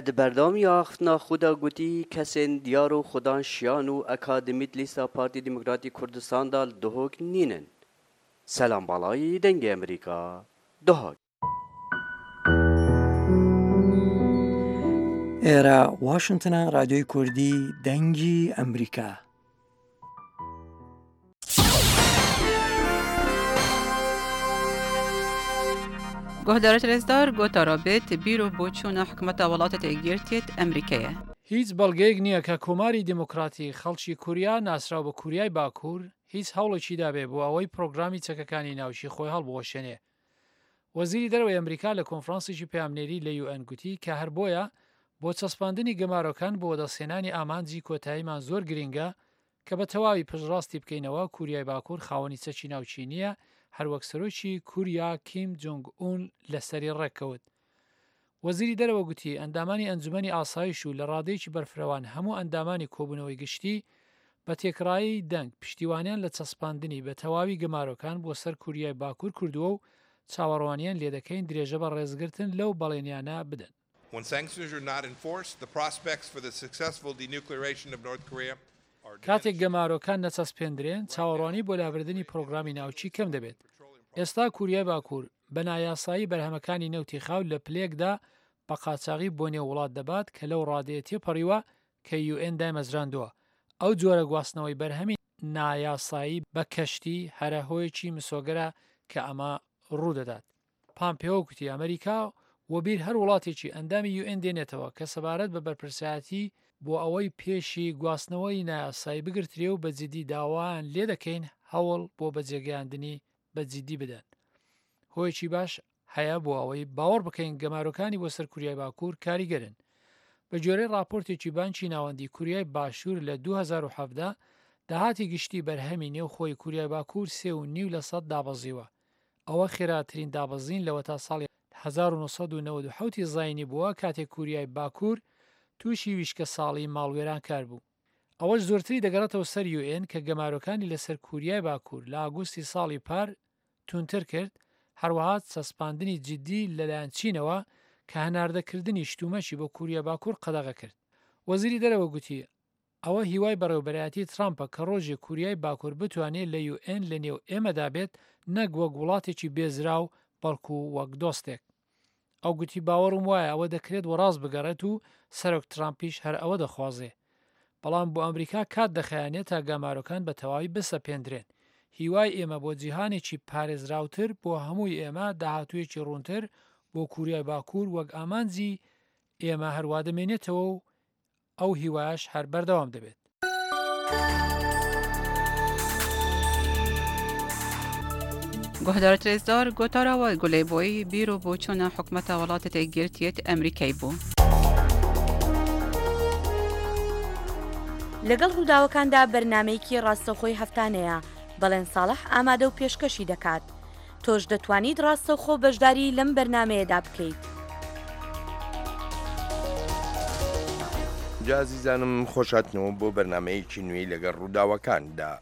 Di berdewamiya axiftina xwe de gotî kesên diyar û xwedan şiyan û akademî di lîsta Partî Demokratî Kurdistan de li Duhok nînin. Selam Balayî, Dengê Amerîka, Duhok. ئێرە واشنتنە رادیۆی کوردی دەنگی ئەمریکا. Guhdarê rêzdar gotara bêt bîr û boçûna hikûmeta welatê Yekgirtiyê Emrîkê ye. هیچ بەڵگەیەک نییە کە کۆماری دیموکراتی خەڵکی کوریا ناسراو بە کوریای باکوور هیچ هەوڵێکی دابێ بۆ ئەوەی پرۆگرامی چەکەکانی ناوکی خۆی هەڵبوەشێنێ. وەزیری دەرەوەی ئەمریکا لە کۆنفرانسێکی پەیامنێری لە یوئێن گوتی کە هەر بۆیە بۆ چەسپاندنی گەمارۆکان بۆ وەدەستهێنانی ئامانجی کۆتاییمان زۆر گرینگە کە بە تەواوی پشتڕاستی بکەینەوە کوریای باکوور خاوەنی چەکی ناوکی نییە هەروەک سەرۆکی کوریا کیم جونگ ئون لەسەری ڕێککەوت. وەزیری دەرەوە گوتی، ئەندامانی ئەنجومەنی ئاسایش و لە ڕادەیەکی بەرفرەوان هەموو ئەندامانی کۆبوونەوەی گشتی بە تێکڕایی دەنگ پشتیوانیان لە چەسپاندنی بە تەواوی گەمارۆکان بۆ سەر کوریای باکوور کردووە و چاوەڕوانیان لێدەکەین درێژە بە ڕێزگرتن لەو بەڵێنیانە بدەن. When sanctions are not enforced, the prospects for the successful denuclearation of North Korea کاتێک گەمارۆکان نەچەسپێندرێن، چاوەڕوانی بۆ لابردنی پرۆگرامی ناوکی کەم دەبێت. ئێستا کوریای باکوور بە نایاسایی بەرهەمەکانی نەوتی خاو لە پلەیەکدا بە قاچاغی بۆ نێو وڵات دەبات کە لەو ڕادەیە تێپەڕیوە کە یوئێن دایمەزراندووە. ئەو جۆرە گواستنەوەی بەرهەمی. نایاسایی بە کەشتی هەرە هۆیەکی مسۆگەرە کە ئەمە ڕوودەدات. پامپێۆ گوتی ئەمریکا وەبیر هەر وڵاتێکی ئەندامی یو ئێن دێنێتەوە کە سەبارەت بە بەرپرسایەتی بۆ ئەوەی پێشی گواستنەوەی نایاسایی بگرترێ و بە جیدی داوایان لێدەکەین هەوڵ بۆ بەجێگەیاندنی بە جیدی بدەن. هۆیەکی باش هەیە بۆ ئەوەی باوەڕ بکەین گەمارۆکانی بۆ سەر کوریای باکوور کاریگەرن. بە گوێرەی ڕاپۆرتێکی بانکی ناوەندی کوریای باشوور لە 2017 داهاتی گشتی بەرهەمی نێوخۆی کوریای باکوور سێ و نیو لە سەد دابەزیوە. ئەوە خێراترین دابەزین لەوەتا ساڵی 1997 ی زاینی بووە کاتێک کوریای باکوور تووشی ویشکەساڵی ماڵوێرانکار بوو. ئەوەش زۆرتری دەگەڕێتەوە سەر یو ئێن کە گەمارۆکانی لەسەر کوریای باکوور لە ئاگوستی ساڵی پار توندتر کرد، هەروەها چەسپاندنی جیدی لەلایەن چینەوە کە هەناردەکردنی شتومەکی بۆ کوریای باکوور قەدەغە کرد. وەزیری دەرەوە گوتی، ئەوە هیوای بەڕێوەبەرایەتی ترامپە کە ڕۆژێک کوریای باکوور بتوانێ لە یو ئێن لەنێو ئێمەدا بێت نەک وەک وڵاتێکی بێزراو بەڵکو وەک دۆستێک. ئەو گوتی باوەڕم وایە ئەوە دەکرێت وەڕاست بگەڕێت و سەرۆک ترامپیش هەر ئەوە دەخوازێ. بەڵام بۆ ئەمریکا کات دەخایەنێ تا گەمارۆکان بە تەواوی بسەپێندرێن. هیوای ئێمە بۆ جیهانێکی پارێزراوتر بۆ هەمووی ئێمە، داهاتوویەکی ڕوونتر بۆ کوریای باکوور وەک ئامانجی ئێمە هەروا دەمێنێتەوە و ئەو هیوایەش هەر بەردەوام دەبێت. گۆهدارت رێزدار گۆتارا وای گولەی بۆی بیر و بۆچوونە حکومەتە وڵاتە یەکگرتیەت ئەمریکای بوو. لەگەڵ ڕووداوەکاندا بەرنامەیەکی ڕاستەوخۆی هەفتانەیە، بەڵێن ساڵح ئامادە و پێشکەشی دەکات. تۆش دەتوانیت ڕاستەوخۆ بەشداری لەم بەرنامەیەدا بکەیت. جا ئازیزانم خۆش هاتنەوە بۆ بەرنامەیەکی نوێی لەگەڵ ڕووداوەکاندا.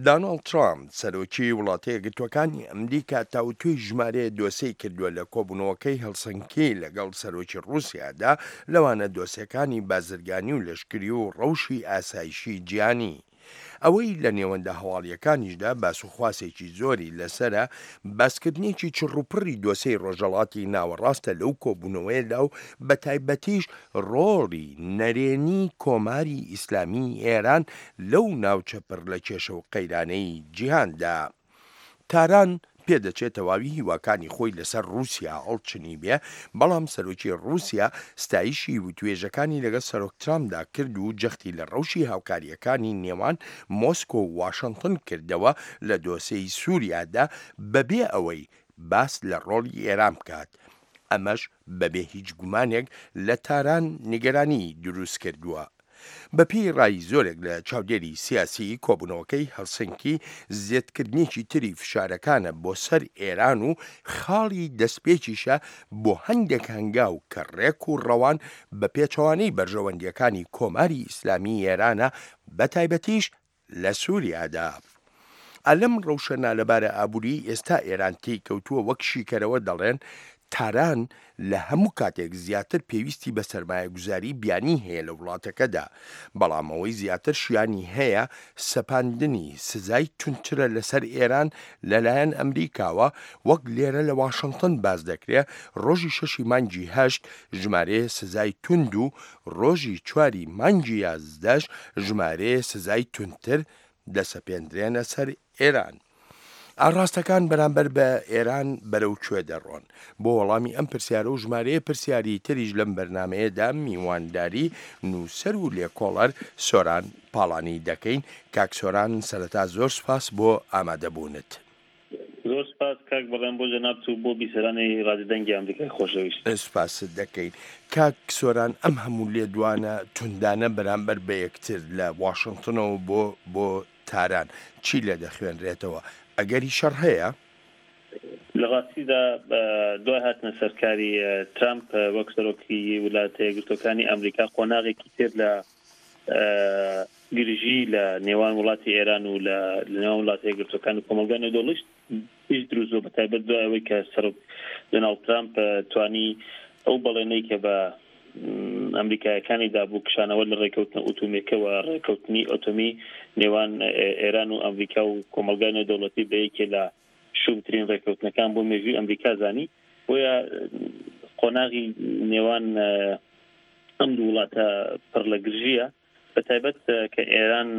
دانۆڵد ترامپ سەرۆکی وڵاتە یەکگرتووەکانی ئەمریکا تاوتوێی ژمارەیە دۆسێی کردووە لە کۆبوونەوەکەی هەلسنکی لەگەڵ سەرۆکی ڕووسیادا لەوانە دۆسێکانی بازرگانی و لەشکری و ڕەوشی ئاسایشی جیهانی. ئەوەی لە نێوەندە هەواڵییەکانیشدا باسوخواسێکی زۆری لەسەرە، باسکردنێکی چڕوپڕی دۆسێی ڕۆژهەڵاتی ناوەڕاستە لەو کۆبوونەوەیەدا و بەتایبەتیش ڕۆڵی نەرێنی کۆماری ئیسلامیی ئێران لەو ناوچە پڕ لە کێشە و قەیرانەی جیهاندا. تاران پێدەچێ تەواوی هیواکانی خۆی لەسەر ڕووسیا هەڵچنیبێ، بەڵام سەرۆکی ڕووسیا ستایشی وتوێژەکانی لەگەڵ سەرۆک ترامپدا کرد و جەختی لە ڕەوشی هاوکارییەکانی نێوان مۆسکۆ و واشنتن کردەوە لە دۆسێی سووریادا بەبێ ئەوەی باس لە ڕۆڵی ئێران بکات، ئەمەش بەبێ هیچ گومانێک لە تاران نیگەرانیی دروست کردووە. بەپێی ڕای زۆرێک لە چاودێری سیاسی، کۆبوونەوەکەی هەلسنکی زێدکردنێکی تری فشارەکانە بۆ سەر ئێران و خاڵی دەستپێکیشە بۆ هەندێک هەنگاو کە ڕێک و ڕەوان بە پێچەوانەی بەرژەوەندییەکانی کۆماری ئیسلامیی ئێرانە بەتایبەتیش لە سوریادا. ئا لەم ڕەوشە نالەبارە ئابووریەی ئێستا ئێران تێی کەوتووە وەک شیکەرەوە دەڵێن تاران لە هەموو کاتێک زیاتر پێویستی بە سەرمایەگوزاری بیانی هەیە لە وڵاتەکەدا بەڵام ئەوەی زیاتر شیانی هەیە سەپاندنی سزای توندترە لەسەر ئێران لەلایەن ئەمریکاوە وەک لێرە لە واشنتن باس دەکرێ ڕۆژی شەشی مانگی هەشت ژمارەیە سزای توند و ڕۆژی چواری مانگی یازدەش ژمارەیە سزای توندتر دەسەپێندرێنە سەر ئێران. ئاڕاستەکان بەرامبەر بە ئێران بەرەو کوێ دەڕۆن؟ بۆ وەڵامی ئەم پرسیارە و ژمارەیە پرسیاری تریش لەم بەرنامەیەدا میوانداری نووسەر و لێکۆڵەر سۆران پاڵانی دەکەین. کاک سۆران سەرەتا زۆر سوپاس بۆ ئامادەبوونت. زۆر سپاس کاک بەڵێن بۆ جەنابت و بۆ بیسەرانی ڕادیۆ دەنگی ئەمریکای خۆشەویست. سپاست دەکەین. کاک سۆران ئەم هەموو لێدوانە توندانە بەرامبەر بە یەکتر لە واشنتنەوە بۆ بۆ تاران چی لێ دەخوێنرێتەوە؟ ئەگەری شەڕ هەیە؟ لە ڕاستیدا دوای هاتنە سەرکاری ترامپ وەک سەرۆکی ولاتە یەکگرتووەکانی ئەمریکا قۆناغێکی تر لە گرژی لە نێوان وڵاتی ئێران و لە نێوان وڵاتە یەکگرتووەکان و کۆمەڵگای نێودەوڵەتیش دروست بووە، بەتایبەت دوای ئەوەی کە سەرۆک دۆناڵد ترامپ توانی ئەو بەڵێنەی کە بە ئەمریکایەکانی دابوو کشانەوە لە ڕێکەوتنە ئوتومێکە و ڕێکەوتنی ئۆتۆمی نێوان ئێران و ئەمریکا و کۆمەڵگای نێودەوڵەتی بە یەکێ لە شومترین ڕێکەوتنەکان بۆ مێژووی ئەمریکا زانی بۆیە قۆناغی نێوان ئەم دوو وڵاتە پڕ لە گرژییە بە تایبەت کە ئێران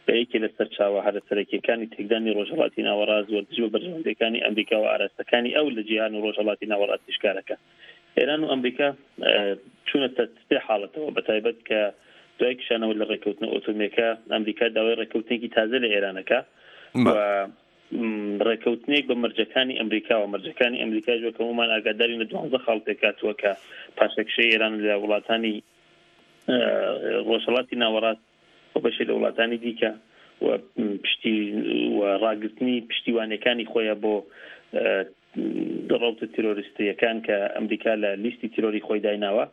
بە یەکێ لە سەرچاوە هەرە سەرەکیەکانی تێکدانی ڕۆژهەڵاتی ناوەڕاست و دژ بە بەرژەوەندیەکانی ئەمریکا و ئاراستەکانی ئەو لە جیهان و ڕۆژهەڵاتی ناوەڕاستیش کارەکە. ئێران و ئەمریکا چوونەتە سێ حاڵەتەوە بە تایبەت کە دوای کشانەوە لە ڕێککەوتنە ئۆتۆمیەکە ئەمریکا داوای ڕێککەوتنێکی تازە لە ئێرانەکە و ڕێککەوتنێک بە مەرجەکانی ئەمریکاوە، مەرجەکانی ئەمریکاش وەک هەموومان ئاگادارین لە دوانزە خاڵ پێکهاتووە کە پاشەکشەی ئێران لە وڵاتانی ڕۆژهەڵاتی ناوەڕاست و بەشێ لە وڵاتانی دیکە و پشتی و ڕاگرتنی پشتیوانیەکانی خۆیە بۆ ڕەوتە تیرۆریستییەکان کە ئەمریکا لە لیستی تیرۆری خۆی دایناوە.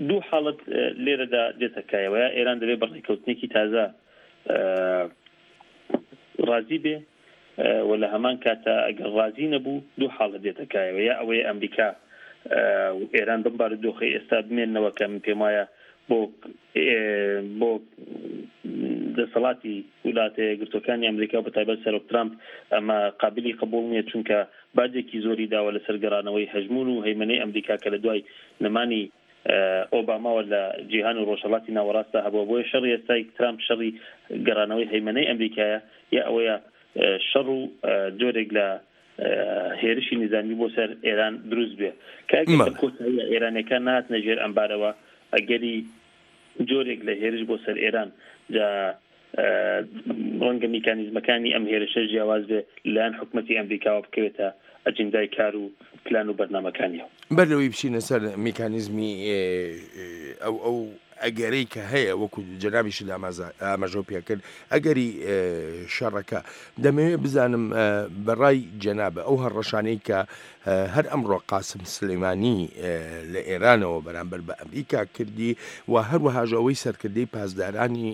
دوو حاڵەت لێرەدا دێتە کایەوە، یا ئێران دەبێت بە ڕێککەوتنێکی تازە ڕازی بێ و لە هەمان کاتا ئەگەر ڕازی نەبوو دوو حاڵەت دێتە کایەوە، یا ئەوەیە ئەمریکا و ئێران بەم بارودۆخەی ئێستا بمێننەوە کە من پێم وایە بۆ بۆ دەسەڵاتی ولاتە یەکگرتووەکانی ئەمریکا و بەتایبەت سەرۆک ترامپ ئەمە قابلی قبوڵ نییە چونکە باجێکی زۆری داوە لەسەر گەڕانەوەی هەژموون و هەیمەنەی ئەمریکا کە لە دوای نەمانی ئۆباماوە لە جیهان و ڕۆژهەڵاتی ناوەڕاستدا هەبووە بۆیە شەڕی ئێستای ترامپ شەڕی گەڕانەوەی هەیمەنەی ئەمریکایە یا ئەوەیە شەڕ و جۆرێک لە هێرشی نیزامی بۆ سەر ئێران دروست بێ کە ئەگەر لە کۆتاییە ئێرانیەکان نەهاتنە ژێر ئەمبارەوە ئەگەری جۆرێک لە هێرش بۆ سەر ئێران جا ڕەنگە میکانیزمەکانی ئەم هێرشە جیاواز بێ لەلایەن حکومەتی ئەمریکاوە بکەوێتە ئەجندای کار و پلان و بەرنامەکانیەوە. بەر لەوەی بچینە سەر میکانیزمی ئەو ئەو ئەگەرەی کە هەیە وەکو جەنابیشت ئاماژەو پێکرد ئەگەری شەڕەکە دەمەوێت بزانم بەڕای جەنابە ئەو هەڕەشانەی کە هەر ئەمڕۆ قاسم سلێمانی لە ئێرانەوە بەرامبەر بە ئەمریکا کردی و هەروەهاش ئەوەی سەرکردەی پاسدارانی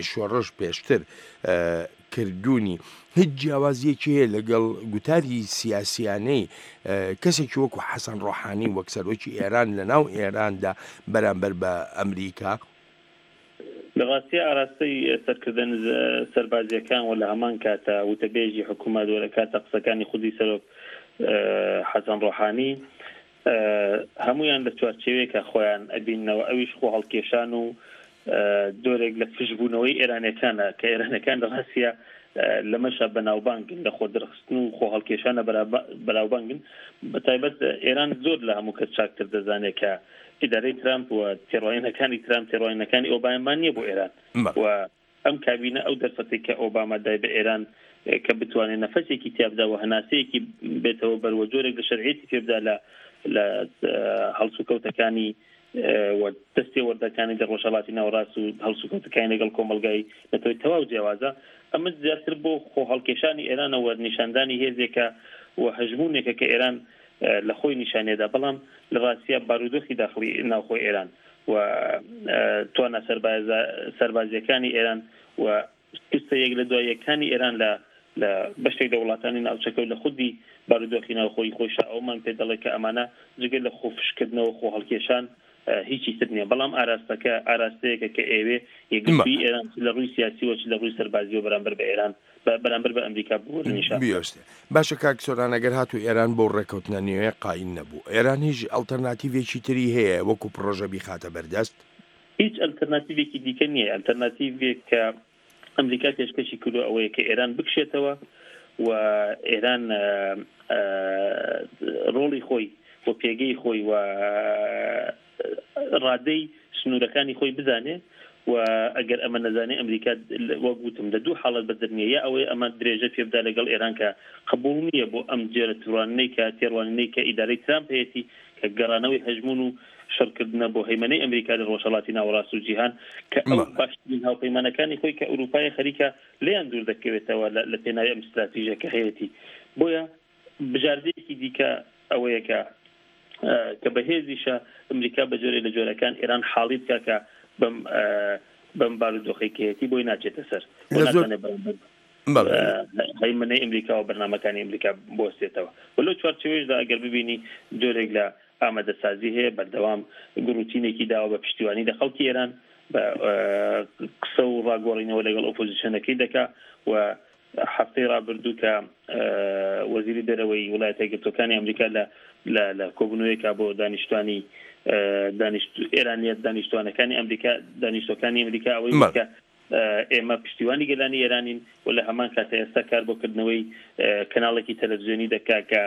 شۆڕش پێشتر کردوونی هیچ جیاوازیەکی هەیە لەگەڵ گوتاری سیاسیانەی کەسێکی وەکو حەسەن ڕۆحانی وەک سەرۆکی ئێران لە ناو ئێراندا بەرامبەر بە ئەمریکا؟ لە ڕاستیا ئاراستەی سەرکردە سەربازیەکان و لە هەمان کاتا وتەبێژی حکومەت و لە کاتە قسەکانی خودی سەرۆک حەسەن ڕۆحانی هەموویان لە چوارچێوەیەکا خۆیان ئەبیننەوە ئەویش خۆ هەڵکێشان و جۆرێک لە فشبوونەوەی ئێرانەکانە کە ئێرانەکان لە ڕاستیا لەمەشا بەناوبانگن لە خۆ دەرخستن و خۆ هەڵکێشانە بەناوبانگن بە تایبەت ئێران زۆر لە هەموو کەس چاکتر دەزانێت کە ئیدارەی ترامپ و تێڕوانینەکانی ترامپ تێڕوانینەکانی ئۆباما نییە بۆ ئێران و ئەم کابینە ئەو دەرفەتەی کە ئۆباما دای بە ئێران کە بتوانێت نەفەسێکی تیا بدا و هەناسەیەکی بێتەوە بەر و جۆرێک لە شەرعیەتی پێ بدا لە لە هەڵسوکەوتەکانی و دەستێوەردەکانی لە ڕۆژهەڵاتی ناوەڕاست و هەڵسوکەوتەکانی لەگەڵ کۆمەڵگای نەتەوەی تەواو جیاوازە. ئەمە زیاتر بۆ خۆهەڵکێشانی ئێرانە و نیشاندانی هێزێکە و هەژموونێکە کە ئێران لە خۆی نیشانیدا، بەڵام لە ڕاستیا بارودۆخی داخڵی ناوخۆی ئێران و توانا سەربازییەکانی ئێران و شکستە یەک لە دوای یەکانی ئێران لە لە بەشێک لە وڵاتانی ناوچەکە و لە خودی بارودۆخی ناوخۆیی خۆیشا ئەوەمان پێ دەڵێ کە ئەمانە جگە لە خۆفشکردنەوە خۆهەڵکێشان هیچی تر نییە. بەڵام ئاراستەکە ئاراستەیەکە کە ئەیەوێ یەکگرتوویی ئێران چ لە ڕووی سیاسییەوە چ لە ڕووی سەربازییەوە بەرامبەر بە ئێران بەرامبەر بە ئەمریکا بگۆرە نیشان بدات. بیۆستێ. باشە کاک سۆران ئەگەر هاتوو ئێران بەو ڕێکەوتنە نوێیە قایل نەبوو، ئێران هیچ ئەڵتەرناتیڤێکی تری هەیە وەکو پڕۆژە بیخاتە بەردەست؟ هیچ ئەلتەرناتیڤێکی دیکە نییە. ئەلتەرناتیڤێک کە ئەمریکا پێشکەشی کردووە ئەوەیە کە ئێران بکشێتەوە و ئێران ڕۆڵی خۆی و پێگەی خۆی و ڕادەی سنوورەکانی خۆی بزانێ و ئەگەر ئەمە نەزانێ ئەمریکا وەک وتم لە دوو حاڵەت بەدەر نییە یا ئەوەیە ئەمە درێژە پێ بدا لەگەڵ ئێران کە قبوڵ نییە بۆ ئەم جۆرە تڕوانینەی کە تێڕوانینەی کە ئیدارەی ترامپ هەیەتی کە گەڕانەوەی هەژموون و شەڕکردنە بۆ هەیمەنەی ئەمریکا لە ڕۆژهەڵاتی ناوەڕاست و جیهان کە ئەو باشترین هاوپەیمانەکانی خۆی کە ئەوروپایە خەریکە لێیان دوور دەکەوێتەوە لە پێناوی ئەم ستراتیژە کە هەیەتی بۆیە بژاردەیەکی دیکە ئەوەیە کە کە بەهێزیشە ئەمریکا بە جۆرێ لە جۆرەکان ئێران حاڵی بکە کە بەم بەم بارودۆخەی کە هەیەتی بۆی ناچێتە سەر و ناتوانێت بەرامبەر هەیمەنەی ئەمریکا و بەرنامەکانی ئەمریکا بوەستێتەوە و لەو چوارچێوەیشدا ئەگەر ببینی جۆرێک لە ئامادەسازی هەیە بەردەوام گڕوتینێکی داوە بە پشتیوانی لە خەڵکی ئێران بە قسە و ڕاگۆڕینەوە لەگەڵ ئۆپۆزیسیۆنەکەی دەکا و هەفتەی ڕابردوو کە وەزیری دەرەوەی وڵایەتە یەکگرتووەکانی ئەمریکا لە لە لە کۆبوونەوەیەکا بۆ دانیشتوانی دانیشت ئێرانیە دانیشتوانەکانی ئەمریکا دانیشتوەکانی ئەمریکا ئەوەی وت کە. ئێمە پشتیوانی گەلانی ئێرانین و لە هەمان کاتە ئێستا کار بۆ کردنەوەی کەناڵێکی تەلەڤزیۆنی دەکا کە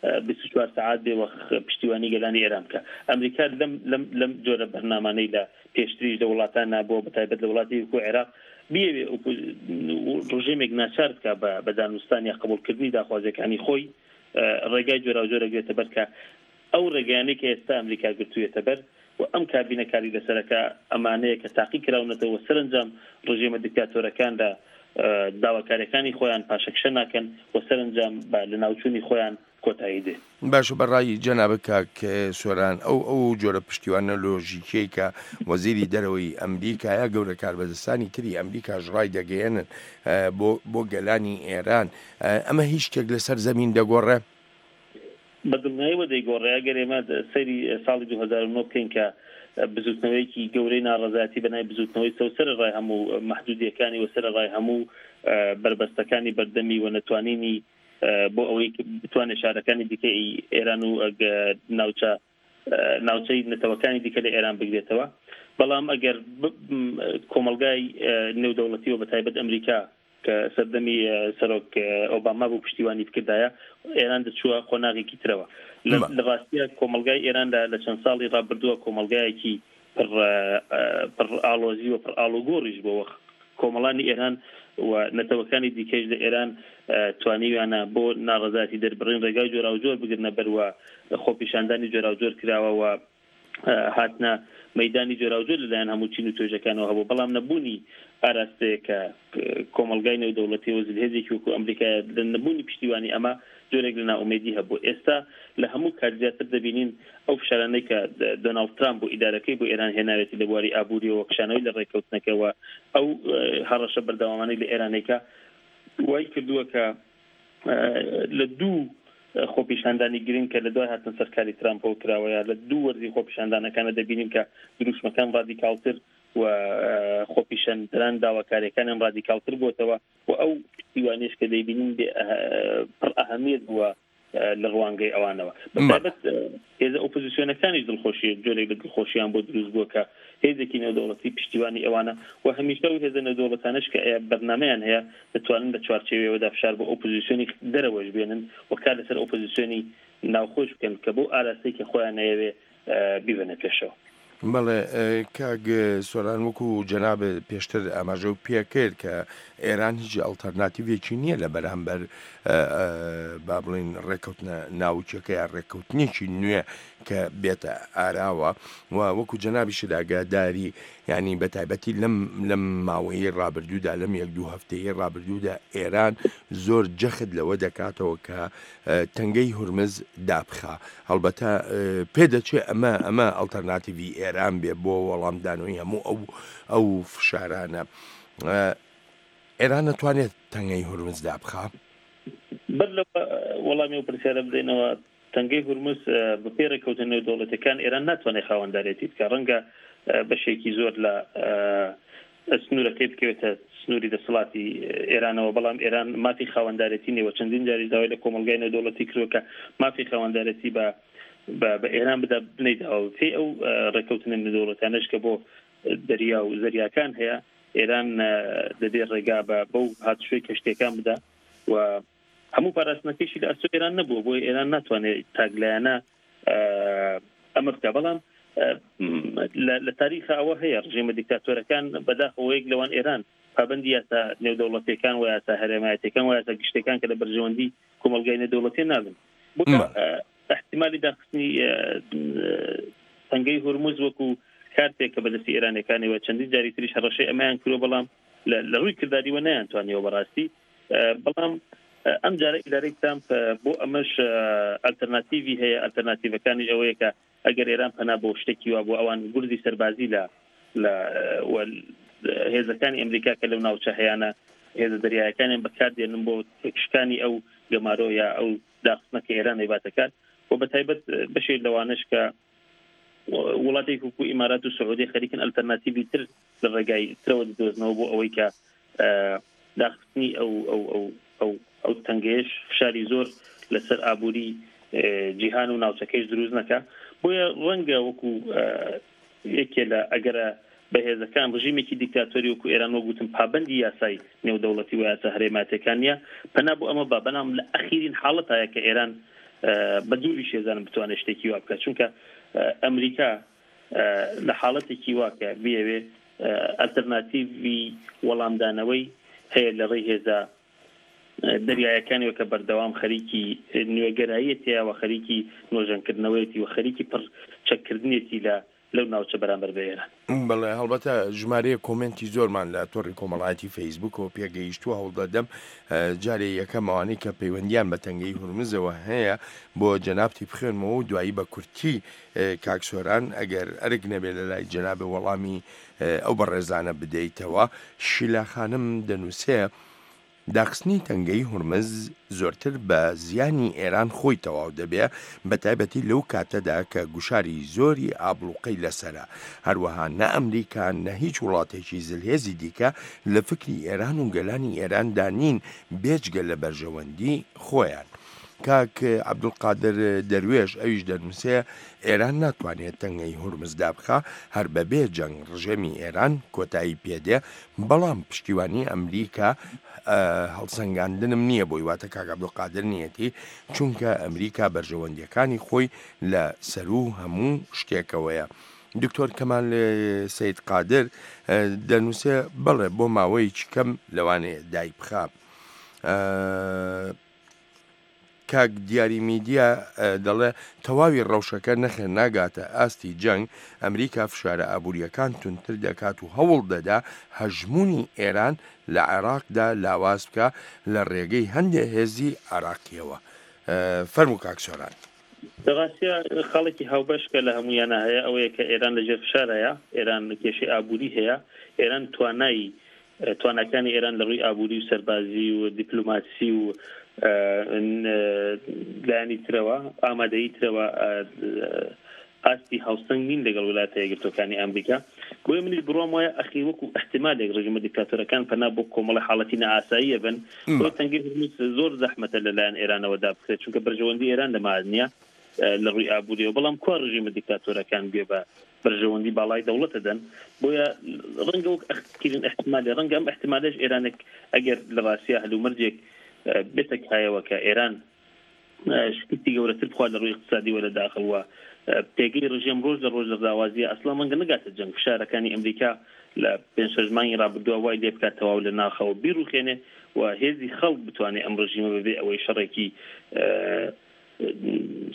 24 سەعات بێ وە پشتیوانی گەلانی ئێران بکا. ئەمریکا لەم لەم لەم جۆرە بەرنامانەی لە پێشتریش لە وڵاتان نابووە بە تایبەت لە وڵاتی وەکوو عێراق بیەوێ ڕژێمێک ناچار بکا بە بە دانوستان یا قبوڵکردنی داخوازیەکانی خۆی ڕێگای جۆراوجۆر ئەگرێتە بەر کە ئەو ڕێگایانەی کە ئێستا ئەمریکا گرتوویەتە بەر و ئەم کابینە کاری لەسەرەکا ئەمانەیە کە تاقی کراونەتەوە و سەرەنجام ڕژێمە دیکتاتۆرەکان لە داواکاریەکانی خۆیان پاشەکشە ناکەن و سەرەنجام بە لەناوچوونی خۆیان کۆتایی دێ. باشە بە ڕای جەنابت کاک سۆران ئەو ئەو جۆرە پشتیوانە لۆژیکیەی کە وەزیری دەرەوەی ئەمریکا یا گەورە کاربەدەستانی تری ئەمریکاش ڕایدەگەیەنن بۆ بۆ گەلانی ئێران ئەمە هیچ شتێک لەسەر زەمین دەگۆڕێ؟ بە دڵنیایەوە دەیگۆڕێ، ئەگەر ئێمە سەیری ساڵی 2009 بکەین کە بزووتنەوەیەکی گەورەی ناڕەزایەتی بە ناوی بزووتنەوەی سەوز سەرەڕای هەموو مەحدوودییەکانی و سەرەڕای هەموو بەربەستەکانی بەردەمی و نەتوانینی بۆ ئەوەی بتوانێت شارەکانی دیکەی ئێران و ناوچە ناوچەی نەتەوەکانی دیکە لە ئێران بگرێتەوە، بەڵام ئەگەر کۆمەڵگای نێودەوڵەتی و بەتایبەت ئەمریکا کە سەردەمی سەرۆک ئۆباما بوو پشتیوانی بکردایە، ئێران دەچووە قۆناغێکی ترەوە. لە ڕاستیا کۆمەڵگای ئێران لە چەند ساڵی ڕابردووە کۆمەڵگایەکی پڕ پڕ ئاڵۆزی و پڕ ئاڵوگۆڕیش بووە. کۆمەڵانی ئێران و نەتەوەکانی دیکەیش لە ئێران توانیویانە بۆ ناڕەزایەتی دەربڕین ڕێگای جۆراوجۆر بگرنە بەر و خۆپیشاندانی جۆراوجۆر کراوە و هاتنە مەیدانی جۆراوجۆر لەلایەن هەموو چین و توێژەکانەوە هەبوو، بەڵام نەبوونی ئاراستەیەک کە کۆمەڵگای نێودەوڵەتی و زلهێزێکی وەکو ئەمریکایە لە نەبوونی پشتیوانی ئەمە جۆرێک لە نائومێدی هەبوو. ئێستا لە هەموو کات زیاتر دەبینین ئەو فشارانەی کە دۆناڵد ترامپ و ئیدارەکەی بۆ ئێران هێناوێتی لە بواری ئابووریەوە، کشانەوەی لە ڕێککەوتنەکە و ئەو هەڕەشە بەردەوامانەی لە ئێرانێکە وای کردووە کە لە دوو خۆپیشاندانی گرنگ کە لە دوای هاتنە سەر کاری ترامپەوە کراوە یا لە دوو وەرزی خۆپیشاندانەکانە دەبینین کە دروشمەکان ڕادیکاڵتر و خۆپیشاندەران داواکاریەکانیان ڕادیکاڵتر بووەتەوە و ئەو پشتیوانیش کە دەیبینین بێ پڕ ئەهەمیەت بووە لە ڕوانگەی ئەوانەوە بەتایبەت هێزە ئۆپۆزیسیۆنەکانیش دڵخۆشی جۆرێک لە دڵخۆشیان بۆ دروست بووە کە هێزێکی نێودەوڵەتی پشتیوانی ئەوانە و هەمیشە ئەو هێزە نێودەوڵەتانەش کە بەرنامەیان هەیە دەتوانن لە چوارچێوەیەوەدا فشار بۆ ئۆپۆزیسیۆنی دەرەوەش بێنن و کار لەسەر ئۆپۆزیسیۆنی ناوخۆش بکەن کە بەو ئاراستەی کە خۆیان ئەیەوێ بیبەنە پێشەوە. بەڵێ کاک سۆران وەکو جەنابت پێشتر ئاماژەو پێکرد کە ئێران هیچ ئەڵتەرناتیڤێکی نییە لە بەرامبەر با بڵین ڕێککەوتنە ناوکیەکە یا ڕێککەوتنێکی نوێ کە بێتە ئاراوە و وەکو جەنابیشت ئاگاداری یانی بە تایبەتی لەم لەم ماوەیەی ڕابردوودا لەم یەک دوو هەفتەیەی ڕابردوودا ئێران زۆر جەخت لەوە دەکاتەوە کە تەنگەی هورمز دابخا هەڵبەتە پێدەچێ ئەمە ئەمە ئەڵتەرناتیڤی ئێران بێ بۆ وەڵامدانەوەی هەموو ئەو ئەو فشارانە ئێران نەتوانێت تەنگەی هورمز دابخا؟ بەر لەوە وەڵامی ئەو پرسیارە بدەینەوە تەنگەی هورمز بەپێی ڕێککەوتنە نێودەوڵەتیەکان ئێران ناتوانێت خاوەندارێتی بکات، ڕەنگە بەشێکی زۆر لە سنوورەکەی بکەوێتە سنووری دەسەڵاتی ئێرانەوە، بەڵام ئێران مافی خاوەندارێتی نییە و چەندین جاریش داوای لە کۆمەڵگای نێودەوڵەتی کردووە کە مافی خاوەندارێتی بە بە ئێران بدا، نەیداوە. بەپێی ئەو ڕێککەوتنە نێودەوڵەتیانەش کە بۆ دەریا و زەریاکان هەیە، ئێران دەبێ ڕێگا بە بەو هاتوچۆی کەشتییەکان بدا و هەموو پاراستنەکەیشی لە ئەستۆی ئێران نەبووە، بۆیە ئێران ناتوانێت تاکلایەنە ئەمە بکا. بەڵام لە تاریخا ئەوە هەیە ڕژێمە دیکتاتۆرەکان بەداخەوە یەک لەوان ئێران پابەندی یاسا نێودەوڵەتیەکان و یاسا هەرێمایەتیەکان و یاسا گشتیەکان کە لە بەرژەوەندی کۆمەڵگای نێودەوڵەتیە نابن. بۆیە احتیمالی داخستنی تەنگەی هورمز وەکو کارتێک کە بەدەستی ئێرانەکانەوە چەندین جاری تریش هەڕەشەی ئەمەیان کردووە، بەڵام لە ڕووی کرداریوە نەیانتوانیوە بەڕاستی. بەڵام ئەم جارە ئیدارەی ترامپ بۆ ئەمەش ئەلتەرناتیڤی هەیە، ئەلتەرناتیڤەکانیش ئەوەیە کە ئەگەر ئێران پەنا بۆ شتێکی وا بۆ ئەوان گورزی سەربازی لە لە هێزەکانی ئەمریکا کە لەو ناوچە هەیانە هێزە دەریایەکانیان بەکاردێنن بۆ تێکشکانی ئەو گەمارۆ یا ئەو داخستنە کە ئێران ئەیباتەکات و بە تایبەت بەشێک لەوانەش کە وڵاتێک وەکو ئیمارات و سعودی خەریکن ئەلتەرناتیڤی تر لە ڕێگای ترەوە دەدۆزنەوە بۆ ئەوەی کە داخستنی ئەو ئەو ئەو ئەو ئەو تەنگەیەش فشاری زۆر لەسەر ئابووری جیهان و ناوچەکەیش دروست نەکا. بۆیە ڕەنگە وەکو یەکێ لە ئەگەرە بەهێزەکان، ڕژیمێکی دیکتاتۆری وەکو ئێران وەک وتم پابەندی یاسای نێودەوڵەتی و یاسا هەرێماتیەکان نیە، پەنا بۆ ئەمە با، بەڵام لە ئەخیرین حاڵەتایە کە ئێران بە دووریش هێزانم بتوانێت شتێکی وا بکات، چونکە ئەمریکا لە حاڵەتێکی وا کە بیەوێ ئەلتەرناتیڤی وەڵامدانەوەی هەیە لە ڕێی هێزە دەریایەکانیەوە کە بەردەوام خەریکی نوێگەراییەتیە و خەریکی نۆژەنکردنەوەیەتی و خەریکی پڕ چەککردنێتی لە لەو ناوچە بەرامبەر بە ئێران. بەڵێ هەڵبەتە ژمارەیەک کۆمێنتی زۆرمان لە تۆڕی کۆمەڵایەتی فەیسبووکەوە پێگەیشتووە هەوڵدەدەم جارێ یەکەم ئەوانەی کە پەیوەندیان بە تەنگەی هورمزەوە هەیە بۆ جەنابتی بخوێنمەوە و دوایی بە کورتی کاک سۆران ئەگەر ئەرک نەبێ لە لای جەنابێ وەڵامی ئەو بەڕێزانە بدەیتەوە. شیلا خانم دەنووسێ، داخستنی تەنگەی هورمز زۆرتر بە زیانی ئێران خۆی تەواو دەبێ، بەتایبەتی لەو کاتەدا کە گوشاری زۆری ئابڵوقەی لەسەرە. هەروەها نە ئەمریکا نە هیچ وڵاتێکی زلهێزی دیکە لە فکری ئێران و گەلانی ئێراندا نین بێجگە لە بەرژەوەندی خۆیان. کاک عەبدولقادر دەروێش ئەویش دەنووسێ، ئێران ناتوانێ تەنگەی هورمز دابخا، هەر بەبێ جەنگ ڕژێمی ئێران کۆتایی پێدێ، بەڵام پشتیوانی ئەمریکا هەڵسەنگاندنم نییە بۆی، واتە کاک عەبدولقادر نییەتی، چونکە ئەمریکا بەرژەوەندییەکانی خۆی لە سەروو هەموو شتێکەوەیە. دکتۆر کەمال سەید قادر دەنووسێ، بەڵێ بۆ ماوەیەکی کەم لەوانەیە دایبخا. کاک دیاری میدیا دەڵێ تەواوی ڕەوشەکە نەخێر ناگاتە ئاستی جەنگ، ئەمریکا فشارە ئابوورییەکان توندتر دەکات و هەوڵ دەدا هەژموونی ئێران لە عێراقدا لاواز بکا لە ڕێگەی هەندێ هێزی عێراقییەوە. فەرموو کاک سۆران. لە ڕاستیا خاڵێکی هاوبەش کە لە هەموویانا هەیە ئەوەیە کە ئێران لە ژێر فشارایە، ئێران کێشەی ئابووری هەیە، ئێران توانای تواناکانی ئێران لە ڕووی ئابووری و سەربازی و دیپلۆماسی و لایەنی ترەوە ئامادەیی ترەوە ئاستی هاوسەنگ نین لەگەڵ وڵاتە یەکگرتووەکانی ئەمریکا بۆیە منیش بڕوام وایە ئەخی وەکو احتمالێک ڕژیمە دیکتاتۆرەکان پەنا بۆ کۆمەڵی حاڵەتی نائاساییە بن بۆ تەنگەی هورمز زۆر زەحمەتە لەلایەن ئێرانەوە دابخرێت چونکە بەرژەوەندی ئێران لەما نییە لە ڕووی ئابووریەوە بەڵام کوا ڕژیمە دیکتاتۆرەکان گوێ بە بەرژەوەندی باڵای دەوڵەت دەدەن بۆیە ڕەنگە وەک ئەخیرین احتمالێ ڕەنگە ئەم احتمالەش ئێرانێک ئەگەر لە ڕاستیا هەلومەرجێک بێتە کایەوە کە ئێران شکستی گەورەتر بخوا لە ڕووی اقتصادی وە لە داخڵ وە پێگەی ڕژێم ڕۆژ لە ڕۆژ لە لاوازیە ئەسڵا ڕەنگە نەگاتە جەنگ فشارەکانی ئەمریکا لە پێنج شەش مانگی ڕابردووە وای لێ بکات تەواو لە ناخەوە بیڕوخێنێ و هێزی خەڵک بتوانێ ئەم ڕژیمە بەبێ ئەوەی شەڕێکی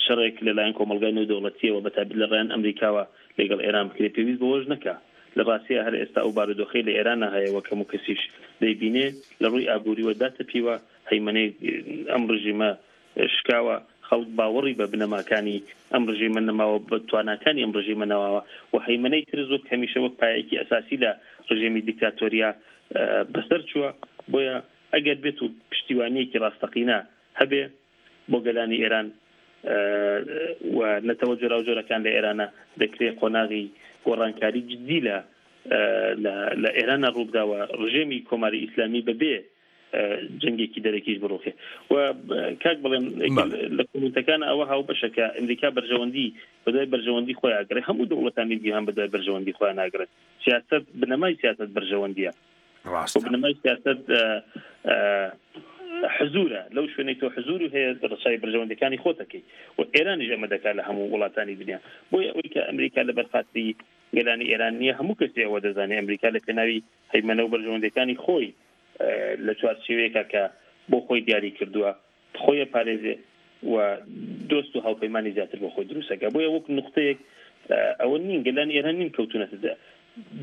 شەڕێک لەلایەن کۆمەڵگای نێودەوڵەتییەوە بەتایبەت لە ڕێیان ئەمریکاوە لەگەڵ ئێران بکرێ پێویست بەوەش نەکا. لە ڕاستیا هەر ئێستا ئەو بارودۆخەی لە ئێرانا هەیە وەک هەموو کەسیش دەیبینێ لە ڕووی ئابووریوە داتەپیوە، هەیمەنەی ئەم ڕژیمە شکاوە، خەڵک باوەڕی بە بنەماکانی ئەم ڕژیمە نەماوە، بە تواناکانی ئەم ڕژیمە نەماوە و هەیمەنەی ترس وەک هەمیشە وەک پایەیەکی ئەساسی لە ڕژێمی دیکتاتۆریا بەسەر چووە. بۆیە ئەگەر بێت و پشتیوانییەکی ڕاستەقینە هەبێ بۆ گەلانی ئێران و نەتەوە جۆراوجۆرەکان لە ئێرانە دەکرێ قۆناغی گۆڕانکاری جدی لە لە ئێرانە ڕووبدا و ڕژێمی کۆماری ئیسلامی بەبێ جەنگێکی دەرەکیش بڕوخێ و کاک بڵێم لە کۆمنتەکان ئەوە هاوبەشە کە ئەمریکا بەرژەوەندی بەدوای بەرژەوەندی خۆی ئاگرێ هەموو دەوڵەتانی جیهان بەدوای بەرژەوەندی خۆیان ناگرن سیاست بنەمای سیاست بەرژەوەندیە ڕاستە. بنەمای سیاسەت حزورە لەو شوێنەی تۆ حزور و هەیە ڕەچاوی بەرژەوەندەکانی خۆتەکەی و ئێرانیش ئەمە دەکات لە هەموو وڵاتانی دنیا بۆیە ئەوەی کە ئەمریکا لە بەرخاتری گەلانی ئێران نییە هەموو کەسی ئەوە دەزانێت ئەمریکا لە پێناوی هەیمەنە و بەرژەوەندەکانی خۆی لە چوارچێوەیەکە کە بۆ خۆی دیاری کردووە خۆی ئەپارێزێ و دۆست و هاوپەیمانی زیاتر بۆ خۆی دروست ئەکا. بۆیە وەک نوختەیەک ئەوە نین گەلانی ئێران نین کەوتوونەتە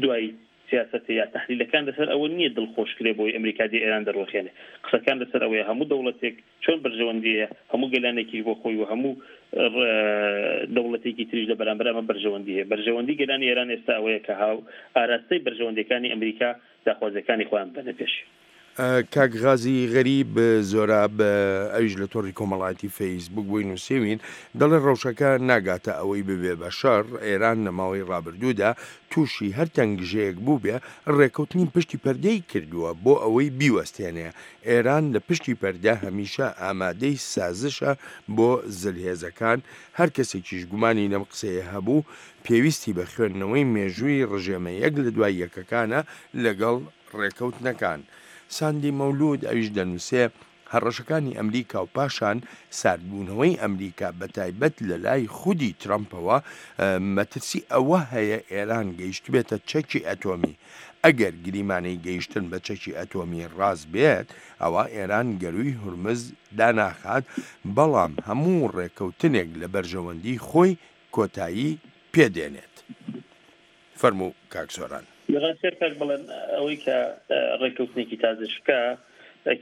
دوای سیاسەتێ یا تەحلیلەکان لەسەر ئەوە نییە دڵخۆش کرێ بۆی ئەمریکا دێ ئێران دەڕوخێنێ. قسەکان لەسەر ئەوەیە هەموو دەوڵەتێک چۆن بەرژەوەندی هەیە، هەموو گەلانێکیش بۆ خۆی و هەموو دەوڵەتێکی تریش لە بەرامبەر ئەمە بەرژەوەندی هەیە. بەرژەوەندی گەلانی ئێران ئێستا ئەوەیە کە هاو ئاراستەی بەرژەوەندیەکانی ئەمریکا داخوازیەکانی خۆیان ببەنە پێش. کاک غازی غەریب زۆراب ئەویش لە تۆڕی کۆمەڵایەتی فەیسبوک بۆی نووسیوین دەڵێ ڕەوشەکە ناگاتە ئەوەی ببێ بە شەڕ، ئێران لە ماوەی ڕابردوودا تووشی هەر تەنگژەیەک بووبێ ڕێکەوتنی پشتی پەردەی کردووە بۆ ئەوەی بیوەستێنێ، ئێران لە پشتی پەردە هەمیشە ئامادەی سازشە بۆ زلهێزەکان، هەر کەسێکیش گومانی لەم قسەیە هەبوو پێویستی بە خوێندنەوەی مێژووی ڕژێمە یەک لە دوای یەکەکانە لەگەڵ ڕێکەوتنەکان. ساندی مەولود ئەویش دەنووسێ، هەڕەشەکانی ئەمریکا و پاشان ساردبوونەوەی ئەمریکا بەتایبەت لەلای خودی ترەمپەوە مەترسی ئەوە هەیە ئێران گەیشتبێتە چەکی ئەتۆمی. ئەگەر گریمانەی گەیشتن بە چەکی ئەتۆمی ڕاست بێت ئەوا ئێران گەرووی هورمز داناخات، بەڵام هەموو ڕێکەوتنێک لە بەرژەوەندی خۆی کۆتایی پێدێنێت. فەرموو کاک سۆران. لە ڕاستیا کاک بەڵێن ئەوەی کە ڕێککەوتنێکی تازە شکا،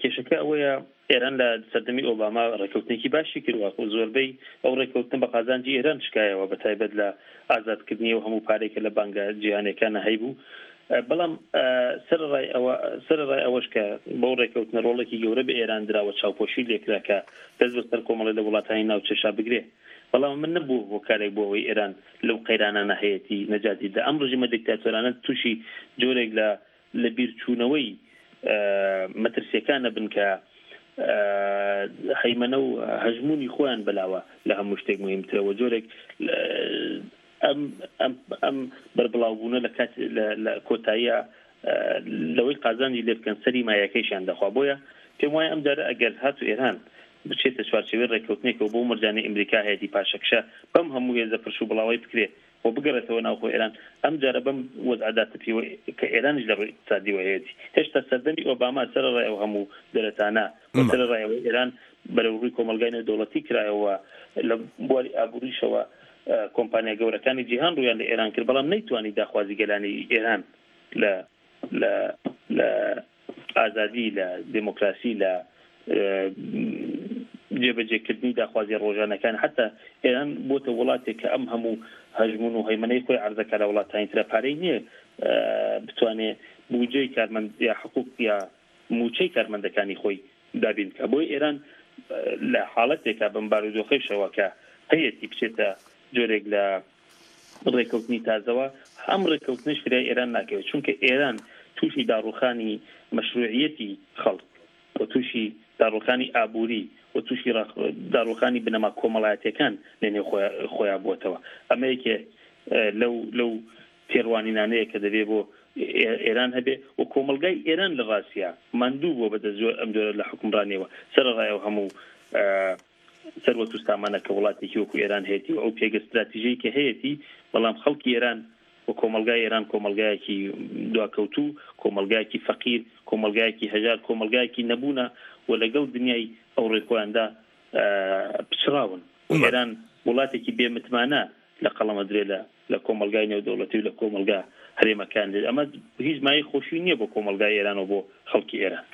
کێشەکە ئەوەیە ئێران لە سەردەمی ئۆباما ڕێککەوتنێکی باشی کردوە و زۆربەی ئەو ڕێککەوتنە بە قازانجی ئێران شکایەوە بە تایبەت لە ئازادکردنی ئەو هەموو پارەی کە لە بانگە جیهانیەکانە هەیبوو بەڵام سەرەڕای ئەوە سەرەڕای ئەوەش کە بەو ڕێککەوتنە ڕۆڵێکی گەورە بە ئێران دراوە چاوپۆشی لێکرا کە دەست بەسەر کۆمەڵی لە وڵاتانی ناوچەشا بگرێ بەڵام ئەمە نەبووە هۆکارێک بۆ ئەوەی ئێران لەو قەیرانانە هەیەتی نەجاتی بدات. ئەم ڕژیمە دیکتاتۆرانە تووشی جۆرێک لە لەبیرچوونەوەی مەترسییەکان ئەبن کە هەیمەنە و هەژموونی خۆیان بەلاوە لە هەموو شتێک موهیمترە و جۆرێک ئەم ئەم ئەم بەربڵاوبوونە لە کات لە کۆتاییە لەوەی قازانجی لێ بکەن سەری مایەکەیشیان دەخوا بۆیە پێم وایە ئەم جارە ئەگەر هاتوو ئێران بچێتە چوارچێوەی ڕێککەوتنێکەوە بەو مەرجانەی ئەمریکا هەیەتی پاشەکشە بەم هەموو هێزە پرش و بڵاوەی بکرێ و بگەڕێتەوە ناوخۆ ئێران ئەم جارە بەم وەزعە داتەپیوە کە ئێرانیش لە ڕووی ئیقتسادیوە هەیەتی هێشتا سەردەمی ئۆباما سەرەڕای ئەو هەموو دەرەتانە و سەرەڕای ئەوەی ئێران بەرەو ڕووی کۆمەڵگای نێودەوڵەتی کرایەوە لە بواری ئابووریشەوە کۆمپانیا گەورەکانی جیهان ڕوویان لە ئێران کرد، بەڵام نەیتوانی داخوازی گەلانی ئێران لە لە لە ئازادی، لە دێمۆکراسی، لە جێبەجێکردنی داخوازیە ڕۆژانەکان، حەتا ئێران بۆتە وڵاتێک کە ئەم هەموو هەژموون و هەیمەنەی خۆی عەرزە کا لە وڵاتانی ترا پارەی نییە بتوانێ بوجەی کارمەند یا حقوق یا مووچەی کارمەندەکانی خۆی دابین بکا. بۆیە ئێران لە حاڵەتێکا بەم بارودۆخەیشەوە کە هەیەتی بچێتە جۆرێک لە ڕێکەوتنی تازەوە، ئەم ڕێکەوتنەش فریای ئێران ناکەوێت، چونکە ئێران تووشی داڕووخانی مەشروعیەتی خەڵک و تووشی داڕووخانی ئابووری و تووشی داڕووخانی بنەما کۆمەڵایەتیەکان لە نێو خۆیا بووەتەوە. ئەمە یەکێ لەو لەو تێڕوانینانەیە کە دەبێ بۆ ئێران هەبێ و کۆمەڵگای ئێران لە ڕاستیا ماندوو بووە بە دەست ئەم جۆرە لە حوکمڕانیەوە سەرەڕای ئەو هەموو سەروەت و سامانە کە وڵاتێکی وەکو ئێران هەیەتی و ئەو پێگە ستراتیژەی کە هەیەتی بەڵام خەڵکی ئێران و کۆمەڵگای ئێران کۆمەڵگایەکی دواکەوتوو کۆمەڵگایەکی فەقیر کۆمەڵگایەکی هەژار کۆمەڵگایەکی نەبوونە و لەگەڵ دنیای ئەوڕۆی خۆیاندا پچڕاون و ئێران وڵاتێکی بێ متمانە لە قەڵەمەدرێ لە لە کۆمەڵگای نێودەوڵەتی و لە کۆمەڵگا هەرێمەکان دێت ئەمە هیچ مایەی خۆشی نییە بۆ کۆمەڵگای ئێران و بۆ خەڵکی ئێران.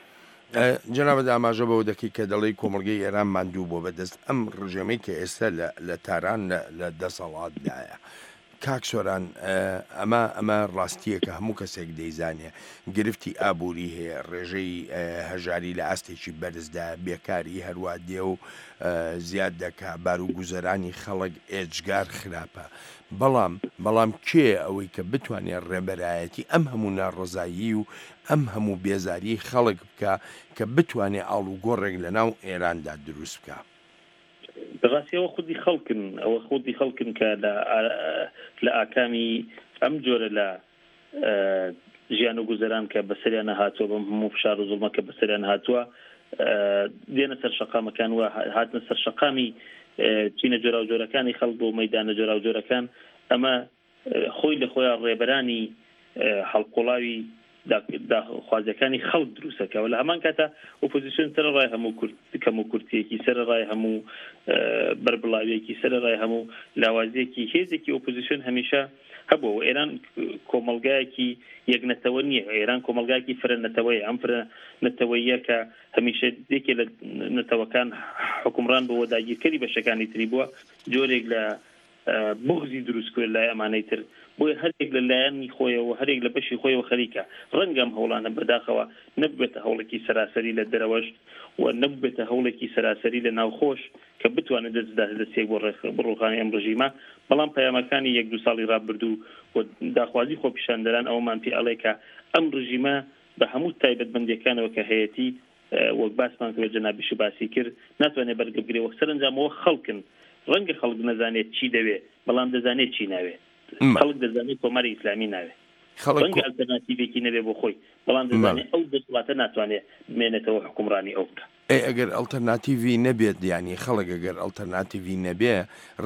جەنابت ئاماژە بەوە دەکەی کە دەڵێی کۆمەڵگەی ئێران ماندوو بووە بە دەست ئەم ڕژێمەی کە ئێستا لە لە تاران لە لە دەسەڵاتدایە. کاک سۆران ئەمە ئەمە ڕاستییەکە هەموو کەسێک دەیزانێ گرفتی ئابووری هەیە ڕێژەی هەژاری لە ئاستێکی بەرزدایە بێکاری هەروا دێ و زیاد دەکا بارو گوزەرانی خەڵک ئێجگار خراپە بەڵام بەڵام کێیە ئەوەی کە بتوانێ ڕێبەرایەتی ئەم هەموو ناڕەزایی و ئەم هەموو بێزاریەی خەڵک بکا کە بتوانێ ئاڵوگۆڕێک لە ناو ئێراندا دروست بکا؟ بەڕاستی ئەوە خودی خەڵکن ئەوە خودی خەڵکن کە لە لە ئاکامی ئەم جۆرە لە ژیان و گوزەران کە بەسەریانە هاتووە بەم هەموو فشار و زوڵمە کە بەسەریان هاتووە دێنە سەر شەقامەکان و هاتنە سەر شەقامی چینە جۆراوجۆرەکانی خەڵک بۆ مەدانە جۆراوجۆرەکان ئەمە خۆی لە خۆیان ڕێبەرانی هەڵقوڵاوی داخوازیەکانی خەڵک دروستەکەەوە لە هەمان کاتە ئۆپۆزیسیۆن سەرەڕای هەموو کورت کەم و کورتیەکی سەرەڕای هەموو بەربڵاویەکی سەرەڕای هەموو لاوازیەکی هێزێکی ئۆپۆزیسیۆن هەمیشە هەبووە و ئێران کۆمەڵگایەکی یەک نەتەوە نییە ئێران کۆمەڵگایەکی فرە نەتەوەیە ئەم فرە نەتەوەیە کە هەمیشە یەکێ لە نەتەوەکان حکومڕان بۆ داگیرکەری بەشەکانی تری بووە جۆرێک لە. بوغزی دروست کرد لای ئەمانەی تر، بۆیە هەریەک لە لایەنی خۆیەوە و هەریەک لە بەشی خۆیەوە خەریکە. ڕەنگە ئەم هەوڵانە بەداخەوە نەبووبێتە هەوڵێکی سەراسەری لە دەرەوەش و نەبووبێتە هەوڵێکی سەراسەری لە ناوخۆش کە بتوانێت دەست بداتە دەستێک بۆ ڕووخانی ئەم ڕژیمە، بەڵام پەیامەکانی یەک دوو ساڵی ڕابردوو و داخوازی خۆپیشاندەران ئەوەمان پێ ئەڵێ کە ئەم ڕژیمە بە هەموو تایبەتمەندیەکانەوە کە هەیەتی وەک باسمان کرد و جەنابیشت باسی کرد ناتوانێت بەرگە بگرێ وەک سەرەنجام ئەوە خەڵکن ڕەنگە خەڵک نەزانێت چی دەوێ بەڵام دەزانێت چی ناوێ خەڵک دەزانێت کۆماری ئیسلامی ناوێ ڕەنگە ئەلتەرناتیڤێکی نەبێ بۆ خۆی بەڵام دەزانێت ئەو دەسەڵاتە ناتوانێت بمێنێتەوە حوکمڕانی ئەو بکا. ئەی ئەگەر ئەڵتەرناتیڤی نەبێت یانی خەڵک ئەگەر ئەڵتەرناتیڤی نەبێ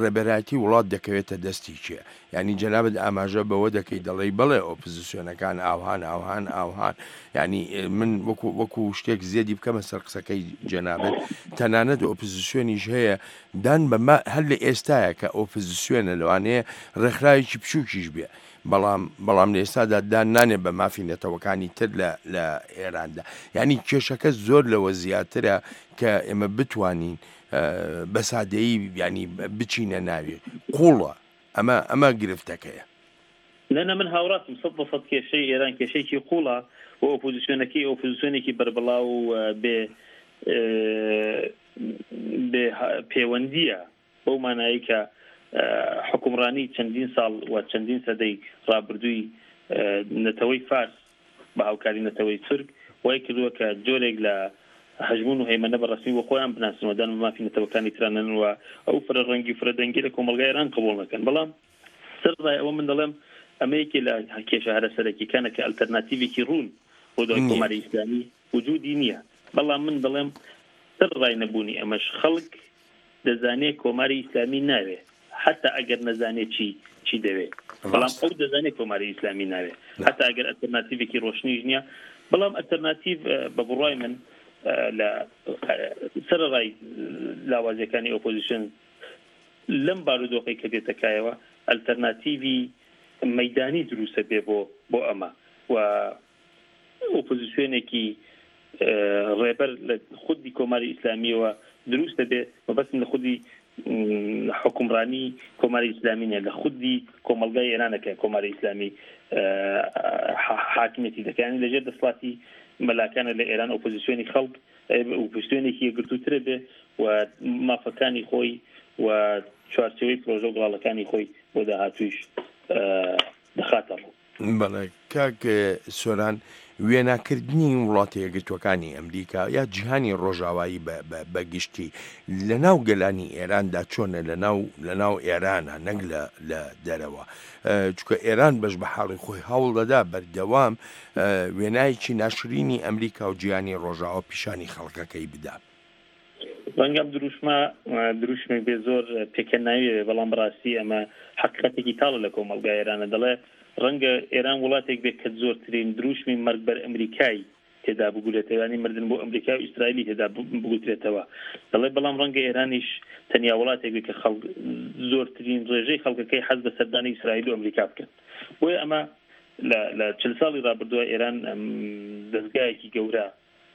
ڕێبەرایەتی وڵات دەکەوێتە دەستی کێ؟ یانی جەنابت ئاماژە بەوە دەکەی دەڵێی بەڵێ ئۆپزسیۆنەکان ئاوهان ئاوهان ئاوهان یانی من وەکو وەکو شتێک زێدی بکەمە سەر قسەکەی جەنابت تەنانەت ئۆپزسیۆنیش هەیە دان بە هەر لە ئێستاە کە ئۆپزسیۆنە لەوانەیە ڕێکخراوێکی بچووکیش بێ بەڵام بەڵام لە ئێستادا دان نانێ بە مافی نەتەوەکانی تر لە لە ئێراندا یعنی کێشەکە زۆر لەوە زیاترە کە ئێمە بتوانین بە سادەیی ینی بچینە ناوی قوڵە ئەمە ئەمە گرفتەکەیە. نە نە من هاوڕاستم سەد بە سەد کێشەی ئێران کێشەیەکی قوڵە و ئۆپۆزیسیۆنەکەی ئۆپۆزیسیۆنێکی بەربڵاو و بێ بێ پێوەندییە بەو مانایەی کە حوکمڕانی چەندین ساڵ و چەندین سەدەی ڕابردووی نەتەوەی فارس بە هاوکاری نەتەوەی تورک وای کردووە کە جۆرێک لە هەژموون و هەیمەنە بە ڕەسمی بۆ خۆیان بناسن و دان بە مافی نەتەوەکانی ترا نەنن و ئەو فرە ڕەنگی و فرە دەنگی لە کۆمەڵگای ئێران قبوڵ نەکەن. بەڵام سەرەڕای ئەوە من دەڵێم ئەمە یەکێ لە کێشە هەرە سەرەکیەکانە کە ئەلتەرناتیڤێکی ڕوون بۆ دوای کۆماری ئیسلامی وجودی نییە. بەڵام من دەڵێم سەرەڕای نەبوونی ئەمەش خەڵک دەزانێ کۆماری ئیسلامی ناوێ حەتا ئەگەر نەزانێ چی چی دەوێ بەڵام ئەو دەزانێ کۆماری ئیسلامی ناوێ حەتا ئەگەر ئەلتەرناتیڤێکی ڕۆشنیش نییە بەڵام ئەلتەرناتیڤ بە بڕوای من لە سەرەڕای لاوازیەکانی ئۆپۆزیسیۆن لەم بارودۆخەی کە دێتە کایەوە ئەلتەرناتیڤی مەیدانی دروستە بێ بۆ بۆ ئەمە و ئۆپۆزیسیۆنێکی ڕێبەر لە خودی کۆماری ئیسلامیەوە دروست دەبێ، مەبەستم لە خودی حوکمڕانی کۆماری ئیسلامی نیە، لە خودی کۆمەڵگای ئێرانە کە کۆماری ئیسلامی حاکمیەتی دەکا، یانی لەژێر دەسەڵاتی مەلاکانە لە ئێران ئۆپۆزیسیۆنی خەڵک ئۆپۆزیسیۆنێکی یەکگرتووترە بێ و مافەکانی خۆی و چوارچێوەی پرۆژە و گەڵاڵەکانی خۆی بۆ داهاتوویش دەخاتە ڕوو. بەڵێ کاک سۆران وێناکردنی وڵاتە یەکگرتووەکانی ئەمریکا یا جیهانی ڕۆژاوایی بە گشتی لە ناو گەلانی ئێراندا چۆنە لە ناو لە ناو ئێرانە نەک لە لە دەرەوە چونکە ئێران بەش بە حاڵی خۆی هەوڵ دەدا بەردەوام وێنایەکی ناشرینی ئەمریکا و جیهانی ڕۆژاوا پیشانی خەڵکەکەی بدا. ڕەنگە ئەم دروشمە دروشمێک بێ زۆر پێکەناوی بێ بەڵام بەڕاستی ئەمە حەقیقەتێکی تاڵە لە کۆمەڵگای ئێرانە دەڵێ ڕەنگە ئێران وڵاتێک بێت کە زۆرترین دروشمی مەرگ بەر ئەمریکای تێدا بگورێتەوە یانی مردن بۆ ئەمریکا و ئیسرائیلی تێدا بگوترێتەوە دەڵێ بەڵام ڕەنگە ئێرانیش تەنیا وڵاتێک بێت کە خەڵک زۆرترین ڕێژەی خەڵکەکەی حەز بە سەردانی ئیسرائیل و ئەمریکا بکەن بۆیە ئەمە لە لە چل ساڵی ڕابردووە ئێران دەزگایەکی گەورە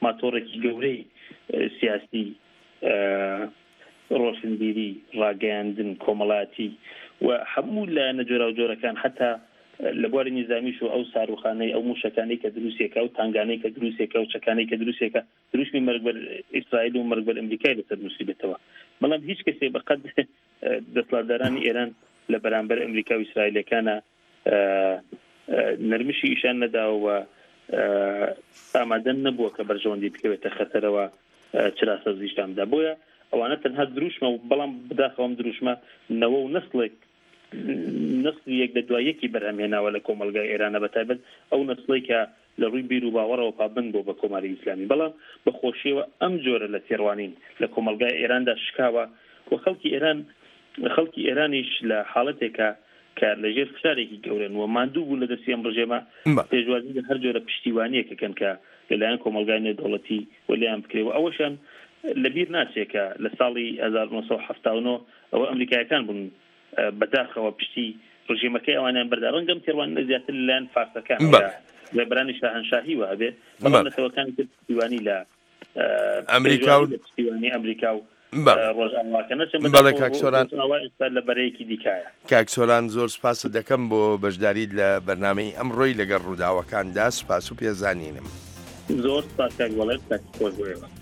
ماتۆڕێکی گەورەی سیاسی، ڕۆشنبیری، ڕاگەیاندن، کۆمەڵایەتی و هەموو لایەنە جۆراوجۆرەکان حەتا لە بواری نیزامیش و ئەو ساروخانەی ئەو مووشەکانەی کە دروستێکە ئەو تانگانەی کە دروستێکە ئەو چەکانەی کە دروستێکە دروشمی مەرگ بەر ئیسرائیل و مەرگ بەر ئەمریکای لەسەر نووسیبێتەوە بەڵام هیچ کەسێک بەقەد دەسەڵاتدارانی ئێران لە بەرامبەر ئەمریکا و ئیسرائیلەکانە نەرمشی ئیشان نەداوە و ئامادە نەبووە کە بەرژەوەندی بکەوێتە خەتەرەوە چرا سەوزیشتان بدا بۆیە ئەوانە تەنها دروشمە و بەڵام بداخەوە ئەم دروشمە نەوە و نەسڵێک نەسلی یەک لە دوای یەکی بەرهەمهێناوە لە کۆمەڵگای ئێرانە بە تایبەت ئەو نەسڵەی کە لە ڕووی بیر و باوەڕەوە پابەند بووە بە کۆماری ئیسلامی بەڵام بە خۆشیەوە ئەم جۆرە لە تێڕوانین لە کۆمەڵگای ئێراندا شکاوە و خەڵکی ئێران خەڵکی ئێرانیش لە حاڵەتێکە کە لە ژێر فشارێکی گەورەن و ماندوو بوون لە دەستی ئەم ڕژێمە پێشوازی لە هەر جۆرە پشتیوانییەک ئەکەن کە لە لایەن کۆمەڵگای نێودەوڵەتی و لێیان بکرێ و ئەوەشیان لە بیر ناچێ کە لە ساڵی 1979 ئەوە ئەمریکایەکان بوون بەداخەوە پشتی ڕژێمەکەی ئەوانیان بەردا ڕەنگە ئەم تێڕوانینە زیاتر لە لایەن فارسەکان یا ڕێبەرانی شاهەنشاهیوە هەبێ بەڵام نەتەوەکانی تر پشتیوانی لە ئەمریکا و پشتیوانی ئەمریکا و. ڕۆژئاواکە نەچن. بەڵێ کاک سۆران. ڕۆژئاوا ئێستا لە بەرەیەکی دیکایە. کاک سۆران زۆر سپاست دەکەم بۆ بەشداریت لە بەرنامەی ئەمڕۆی لەگەڵ ڕووداوەکاندا، سپاس و پێزانینم. زۆر سپاس کاک بەڵێن، کاتی خۆش بۆ ئێوە.